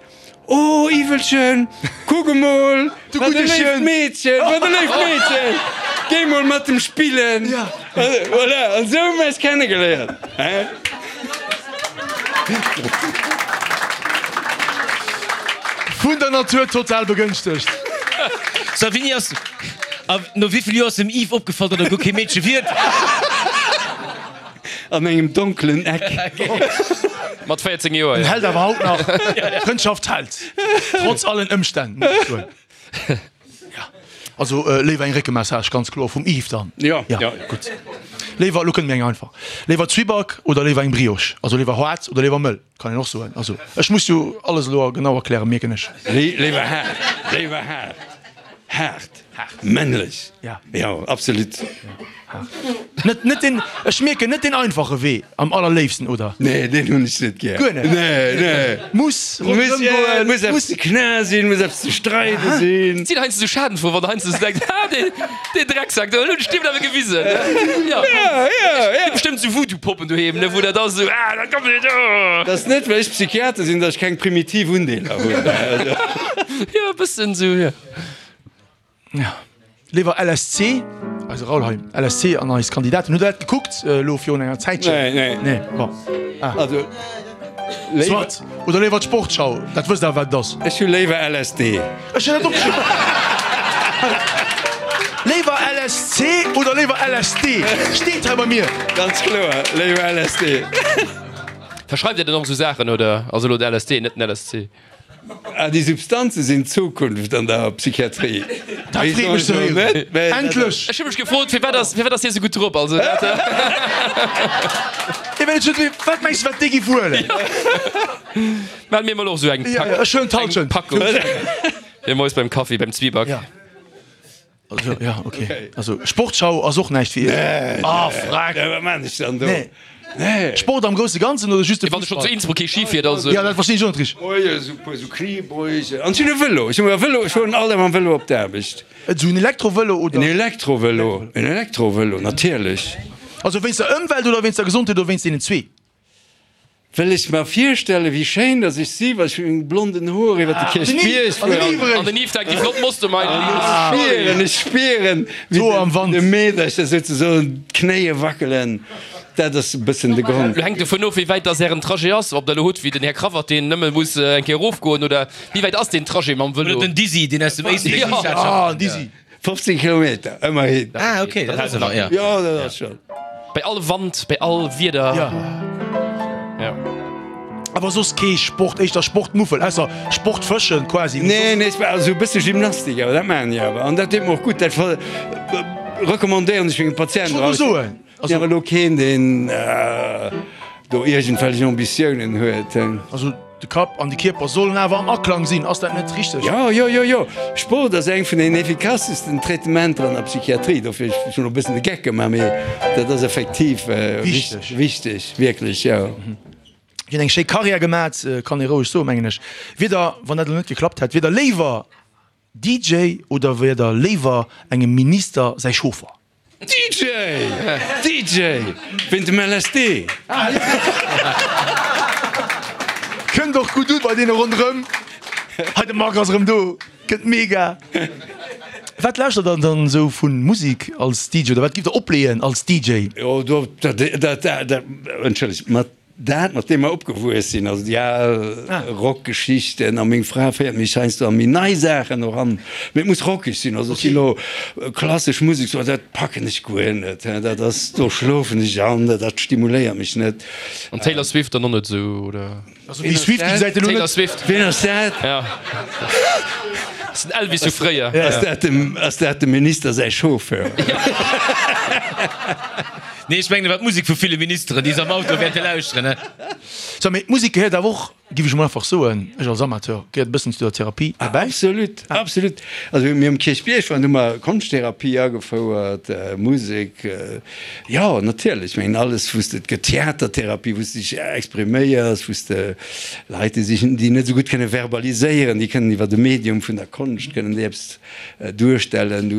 Oh Yvelchen, kuck emol, Du wat e gudde léift Chen. Meedchen, wat e léift Meedchen, géi mol mat em spillen. Ja. Voilà, an sou hu mir eis kennegeléiert, hein. Vun der Natur total begënschtegt. So, wéini ass, a no wéivill Joer ass dem Yves opgefall, datt e guer kee Meedche wier? An engem donkelen Eck. Mat 14 Joer, En jo. hält awer haut nach. Frëndschaft hält. Trotz allen Ëmstänn, muss ech soen. Ja. Also léiwer eng Réckemassage, ganz kloer, vum Yves dann. Jo, Ja, jo. gutt. Léiwer, elo kënnt mir eng einfach. Léiwer Zwieback oder léiwer eng Brioche? Also léiwer haart oder léiwer mëll, kann een och soen. Also ech muss jo alles elo genau erklären, mierken ech. Léiwer haart, léiwer haart. Haart. Männlech. Ja. Jo, absolut. Net, net den, ech mierken, net den einfache Wee am allerléifsten, oder? Nee, deen hunn ech net gär. Guer net? Nee, nee. Muss Muss, ronderëm ja, goen, muss eppes ze kna sinn, muss eppes ze streide sinn. Et sinn heiansdo sou schadenfroh, wann der heiansdo sou denkt, ha, deen, deen Drecksack do, elo hunn ech deem awer gewisen. Ja, Ja, ja, ja. Hutt bestëmmt sou Voodoo-Poppen doheem, ne, wou der da sou, ah, da kommt et, oh. Dat ass net, well ech Psychiater sinn, datt ech keng primitiv Undeeler hunn. Jo, e bëssen sou, jo. Ja. Léiwer LSC, eise Raoul hei, LSC an eis Kandidaten. Hutt Der dat gekuckt elo virun enger Zäitchen? Nee, nee. Nee, bon. Ah. Also, léiwer. Soit. Oder léiwer d'Sportschau, dat wësst Der awer, wat et ass. Ech hu léiwer LSD. Ech hunn dat opgeschriwwen. Léiwer LSC oder léiwer LSD? Steet hei bei mir. Ganz kloer, léiwer LSD. Verschreift Dir dann och esou Saachen, oder? Also elo de LSD, net den LSC. Ah, déi Substanze sinn d'Zukunft an der Psychiatrie. Dat freet mech ze héieren. Endlech! Ech hu mech gefrot, firwat ass, firwat ass hie sou gutt drop? Also dat. Hie well et huet, wat mengs de wat déi gi wuelen? Mell mir mol och sou eng Ja, Pak, ech huelen eng d'Halschent. Packung. Fir moies beim Kaffi, beim Zwieback. Ja. Also, ja, okay. Also Sportschau ass och näischt fir iech? Ah, freck! Nee, wat maan ech dann do? Nee. Nee. Sport am grousse Ganzen oder just de Wann de schonn zu Fussball? Innsbruck kee Ski fiert, also. Ja, dat verstinn ech och net richteg. Oh jo, esou puer esou Kniebeugen. An ech hunn e Vëlo. Ech hunn e Vëlo, ech fueren all Dag mam Vëlo op d'Aarbecht. Esou en Elektrovëlo oder? En Elektrovëlo, en Elektrovëlo, natierlech. Also wéinst der Ëmwelt oder wéinst der Gesondheet oder wéinst deenen zwee? Well ech mer virstellen, wéi schéin dass ech si, wa ech mat menge blonden Hoer iwwer de Kierchbierg fueren. An den Yves denkt, déi flott Mostermein. An ech spieren, ech spieren, wéi de Meedercher souzesoen d'Knéie wackelen. Dat ass e bëssen de Grond. Lo hänkt dovun of, wéi wäit dass ären Trajet ass. Ob der elo hutt wéi den Här Cravat, deen nëmme muss eng Kéier erofgoen, oder wéi wäit ass deen Trajet mam Vëlo? Oder den Dizzy, deen aus dem Éislek. Ah, Dizzy. 15 Kilometer, ëmmerhin. Ah, okay, dat ass awer, ja. Jo, dat ass schonn. Bei all Wand, bei all Wieder. Ja. Ja. Awer soss kee Sport, éischter Sportmuffel, ausser Sportfëschen quasi. Nee, nee, ech maachen esou e bësse Gymnastik, awer dat maachen ech awer. An dat deet mer och gutt. Dat recommandéieren ech menge Patienten. Ech wollt elo soen. Also awer elo keen, deen do iergendwelch Ambitiounen huet. Also de Kapp an de Kierper sollen awer am Aklang sinn, ass dat net richteg? Jo, jo, jo, jo. Sport ass eng vun den effikassesten Traitementer an der Psychiatrie. Dofir, ech hunn elo e bëssen de Geck gemaach, mee dat ass effektiv Wichteg. wichteg, wierklech, jo. Dir hutt eng schéi Karriär gemat, kann ee roueg soen, mengen ech. Wier der, wann dat elo net geklappt hätt, wier der léiwer DJ oder wier der léiwer engem Minister säi Chauffer? DJ! DJ! Wéint dem LSD! Kënnt och gutt u bei deene ronderëm. Hei de Marc ass erëm do, kënnt mega. Wat lauschtert der dann esou vu Musek als DJ oder wat giff der opleeën als DJ? Jo, do, dat, dat, dat, entschëllegt, mat. Dat, mat deem mer opgewuess sinn, also déi al Rockgeschichten, a meng Fra féiert mech heiansdo a méi nei Saachen och an, mee et muss rockeg sinn. Also ech si lo klassesch Musek, sou, dat packen ech guer net, dat ass, do schlofen ech an, dat stimuléiert mech net. An Taylor Swift dann och net esou, oder? Also déi Swift, déi gesäit elo net. Taylor Swift. Wien ass dat? Ja. Ass den Elvis vu fréier. Ass dat dem, ass dat dem Minister säi Chauffeur? Nee, ech mengen, et war d'Musek vu ville Ministeren, déi se am Auto wäerte lauschteren, ne? So, mee d'Musek gehéiert awer och, géif ech emol einfach soen, ech als Amateur, gehéiert e bëssen zu der Therapie derbäi. Absolut, absolut. Also mir um Kierchbierg waren, hu mer Konschtherapie agefouert, Musek, jo, natierlech. Ech mengen alles, wou s de, et gëtt Theatertherapie, wou s de dech expriméiers, wou s de Leit, déi sech, déi net esou gutt kënne verbaliséieren, déi kënnen iwwer de Medium vun der Konscht kënnen déi eppes duerstellen,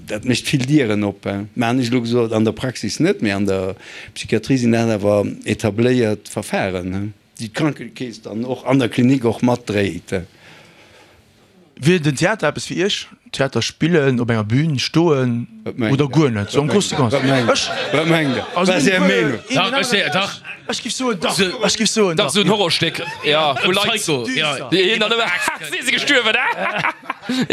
dat mécht vill Dieren op. Mä ech elo gesot, an der Praxis net, mä an der Psychiatrie sinn dat awer etabléiert Verfahren, déi d'Krankekeess dann och an der Klinik och matdréit. Wier den Theater eppes fir Iech? Theater spillen, op enger Bühn stoen oder guer net? Sou am Grouse Ganzen. Wat mengt Der? Wat ass Är Meenung? Ech giff soen dach. Ech giff soen dach. Dach, sou en Horrorstéck, jo, wou Leit, déi hien dann ëmmer, ha, si si gestuerwen, ha,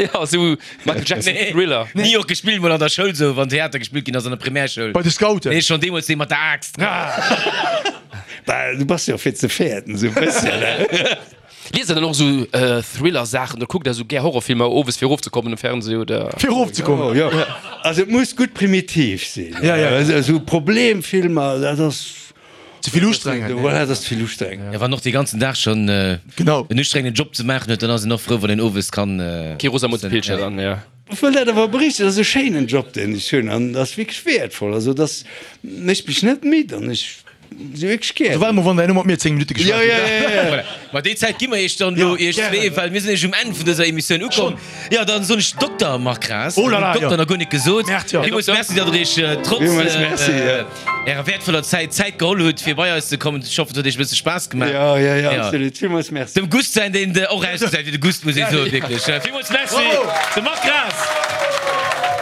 jo, sou Michael Jackson Thriller. Ni och gespillt mol an der Schoul sou, wann Theater gespillt ginn ass an der Primärschoul. Bei de Scouten. Nee, schonn deemools dee mat der Aaxt. Bah, du bass jo fir ze fäerten, sou e bësschen, ne? Liest der dann och esou Thriller-Saachen oder kuckt der esou gär Horrorfilmer owes fir erofzekommen um Fernseh oder? Fir erofzekommen? Jo, jo. Also et muss gutt primitiv sinn. Ja, ja. Esou Problemfilmer, dat ass. Ze vill ustrengend. Voilà, dat ass ze vill ustrengend. Ja, wann och dee ganzen Dag schonn Genau. en ustrengenden Job ze maachen huet, dann ass een och frou, wann een owes kann. Kee Rosamunde Pilcher dann, ja. Ech wëll dat awer berichten, dat ass e schéinen Job, deen ech hunn an dat ass wierklech wäertvoll. Also dat mécht mech net midd an ech si wierklech gär. Also war emol wann der elo mat mir 10 Minutte geschwat hutt. Jo, jo, jo, jo. Voilà. Ma déi Zäit gi mer iech dann elo, iech zwee, well mir sinn nämlech um Enn vun dëser Emissioun ukomm. Jo, dann soen ech Dokter Marc Graas. Oh là là, jo. Dokter nach guer net gesot. Merde, jo. Villmools Merci, datt der iech trotz Villmools Merci, jo. ärer wäertvoller Zäit Zäit geholl hutt, fir bei eis ze kommen. Ech hoffen, et huet iech e bësse Spaass gemaach. Jo, jo, jo, absolut. Villmools Merci. Dem Gust säin, deen och ausgesäit wéi de Gust, muss ee soen, wierklech. Villmools Merci, de Marc Graas.